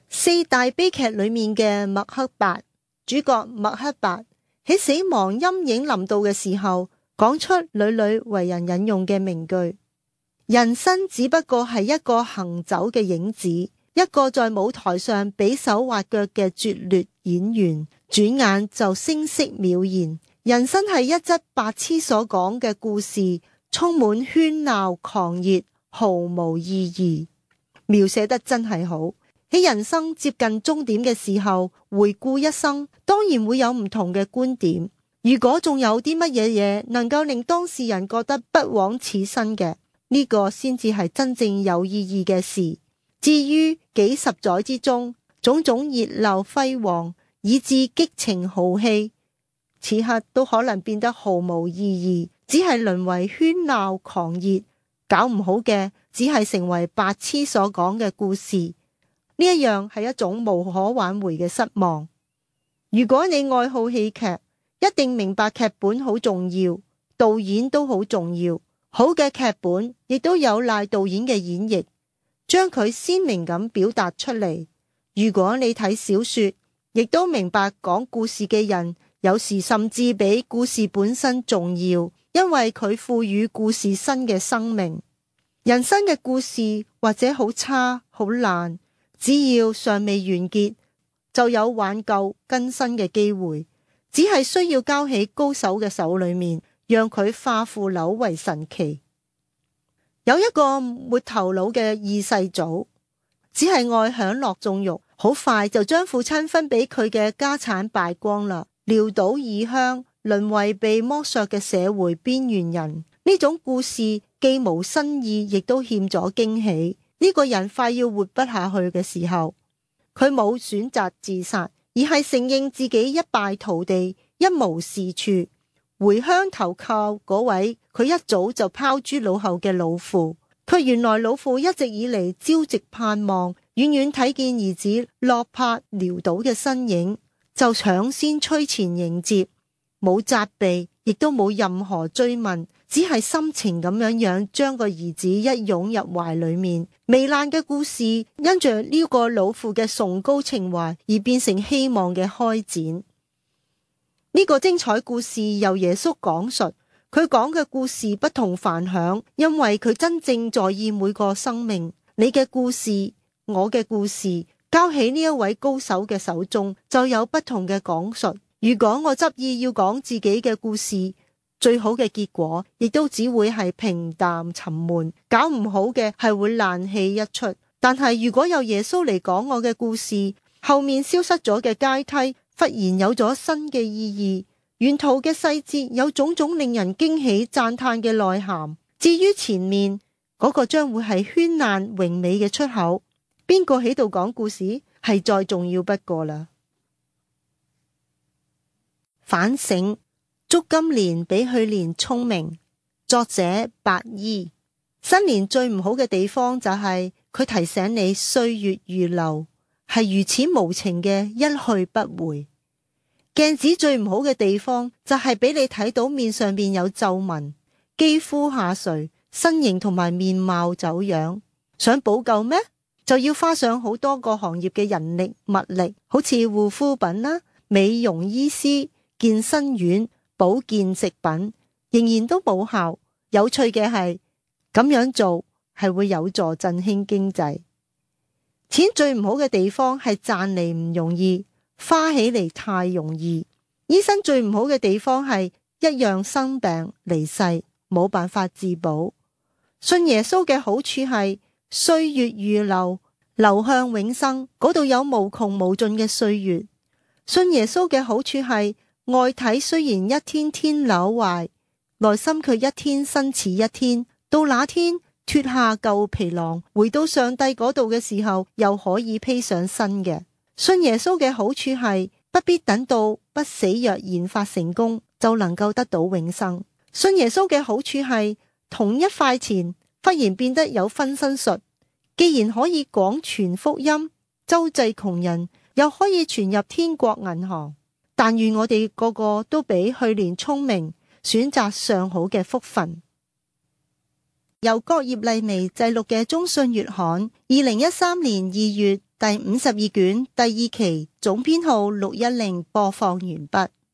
4大悲劇裏面嘅麥克白，主角麥克白喺死亡陰影臨到嘅時候，講出屢屢為人引用嘅名句：人生只不過係一個行走嘅影子，一個在舞台上比手畫腳嘅拙劣演員，轉眼就聲色渺然。人生係一則白痴所講嘅故事，充滿喧鬧狂熱，毫無意義。描寫得真係好。喺人生接近終點嘅時候，回顧一生，當然會有唔同嘅觀點。如果仲有啲乜嘢嘢能夠令當事人覺得不枉此生嘅，呢個先至係真正有意義嘅事。至於幾十載之中種種熱鬧輝煌，以致激情豪氣，此刻都可能變得毫無意義，只係淪為喧鬧狂熱，搞唔好嘅只係成為白痴所講嘅故事。呢一樣係一種無可挽回嘅失望。如果你愛好戲劇，一定明白劇本好重要，導演都好重要。好嘅劇本亦都有賴導演嘅演繹，將佢鮮明咁表達出嚟。如果你睇小說，亦都明白講故事嘅人有時甚至比故事本身重要，因為佢賦予故事新嘅生命。人生嘅故事或者好差好爛，只要尚未完結，就有挽救更新嘅機會，只係需要交喺高手嘅手裏面，讓佢化腐朽為神奇。有一個沒頭腦嘅二世祖，只係愛享樂縱慾，好快就將父親分俾佢嘅家產敗光啦，潦倒異鄉，淪為被剝削嘅社會邊緣人。呢種故事既無新意，亦都欠咗驚喜。呢個人快要活不下去嘅時候，佢冇選擇自殺，而係承認自己一敗塗地，一無是處，回鄉投靠嗰位佢一早就拋諸腦後嘅老父。佢原來老父一直以嚟朝夕盼望，遠遠睇見兒子落魄潦倒嘅身影，就搶先趨前迎接，冇責備，亦都冇任何追問，只係深情咁樣將個兒子一擁入懷裏面。糜爛嘅故事因着呢個老父嘅崇高情懷而變成希望嘅開展。呢個精彩故事由耶穌講述，佢講嘅故事不同凡響，因為佢真正在意每個生命。你嘅故事，我嘅故事，交喺呢一位高手嘅手中，就有不同嘅講述。如果我執意要講自己嘅故事，最好嘅結果亦都只會係平淡沉悶，搞唔好嘅係會爛戲一出。但係如果有耶穌嚟講我嘅故事，後面消失咗嘅階梯忽然有咗新嘅意義，沿途嘅細節有種種令人驚喜讚嘆嘅內涵。至於前面嗰個將會係絢爛榮美嘅出口，邊個喺度講故事係再重要不過啦。反省，祝今年比去年聰明。作者白衣。新年最唔好嘅地方就係佢提醒你歲月如流，係如此無情嘅一去不回。鏡子最唔好嘅地方就係俾你睇到面上面有皺紋，肌膚下垂，身形同埋面貌走樣。想補救咩？就要花上好多個行業嘅人力物力，好似護膚品啦、美容醫師、健身院、保健食品，仍然都冇效。有趣嘅係，咁樣做係會有助振興經濟。錢最唔好嘅地方係賺嚟唔容易，花起嚟太容易。醫生最唔好嘅地方係一樣生病離世，冇辦法自保。信耶穌嘅好處係歲月如流，流向永生，嗰度有無窮無盡嘅歲月。信耶穌嘅好處係外體雖然一天天朽壞，內心卻一天新似一天。到那天脫下舊皮囊，回到上帝嗰度嘅時候，又可以披上新嘅。信耶穌嘅好處係不必等到不死藥研發成功就能夠得到永生。信耶穌嘅好處係同一塊錢忽然變得有分身術，既然可以廣傳福音，周濟窮人，又可以傳入天國銀行。但願我哋個個都比去年聰明，選擇上好嘅福分。由郭葉麗薇製錄嘅中信月刊2013年2月第52卷第2期總編號610播放完畢。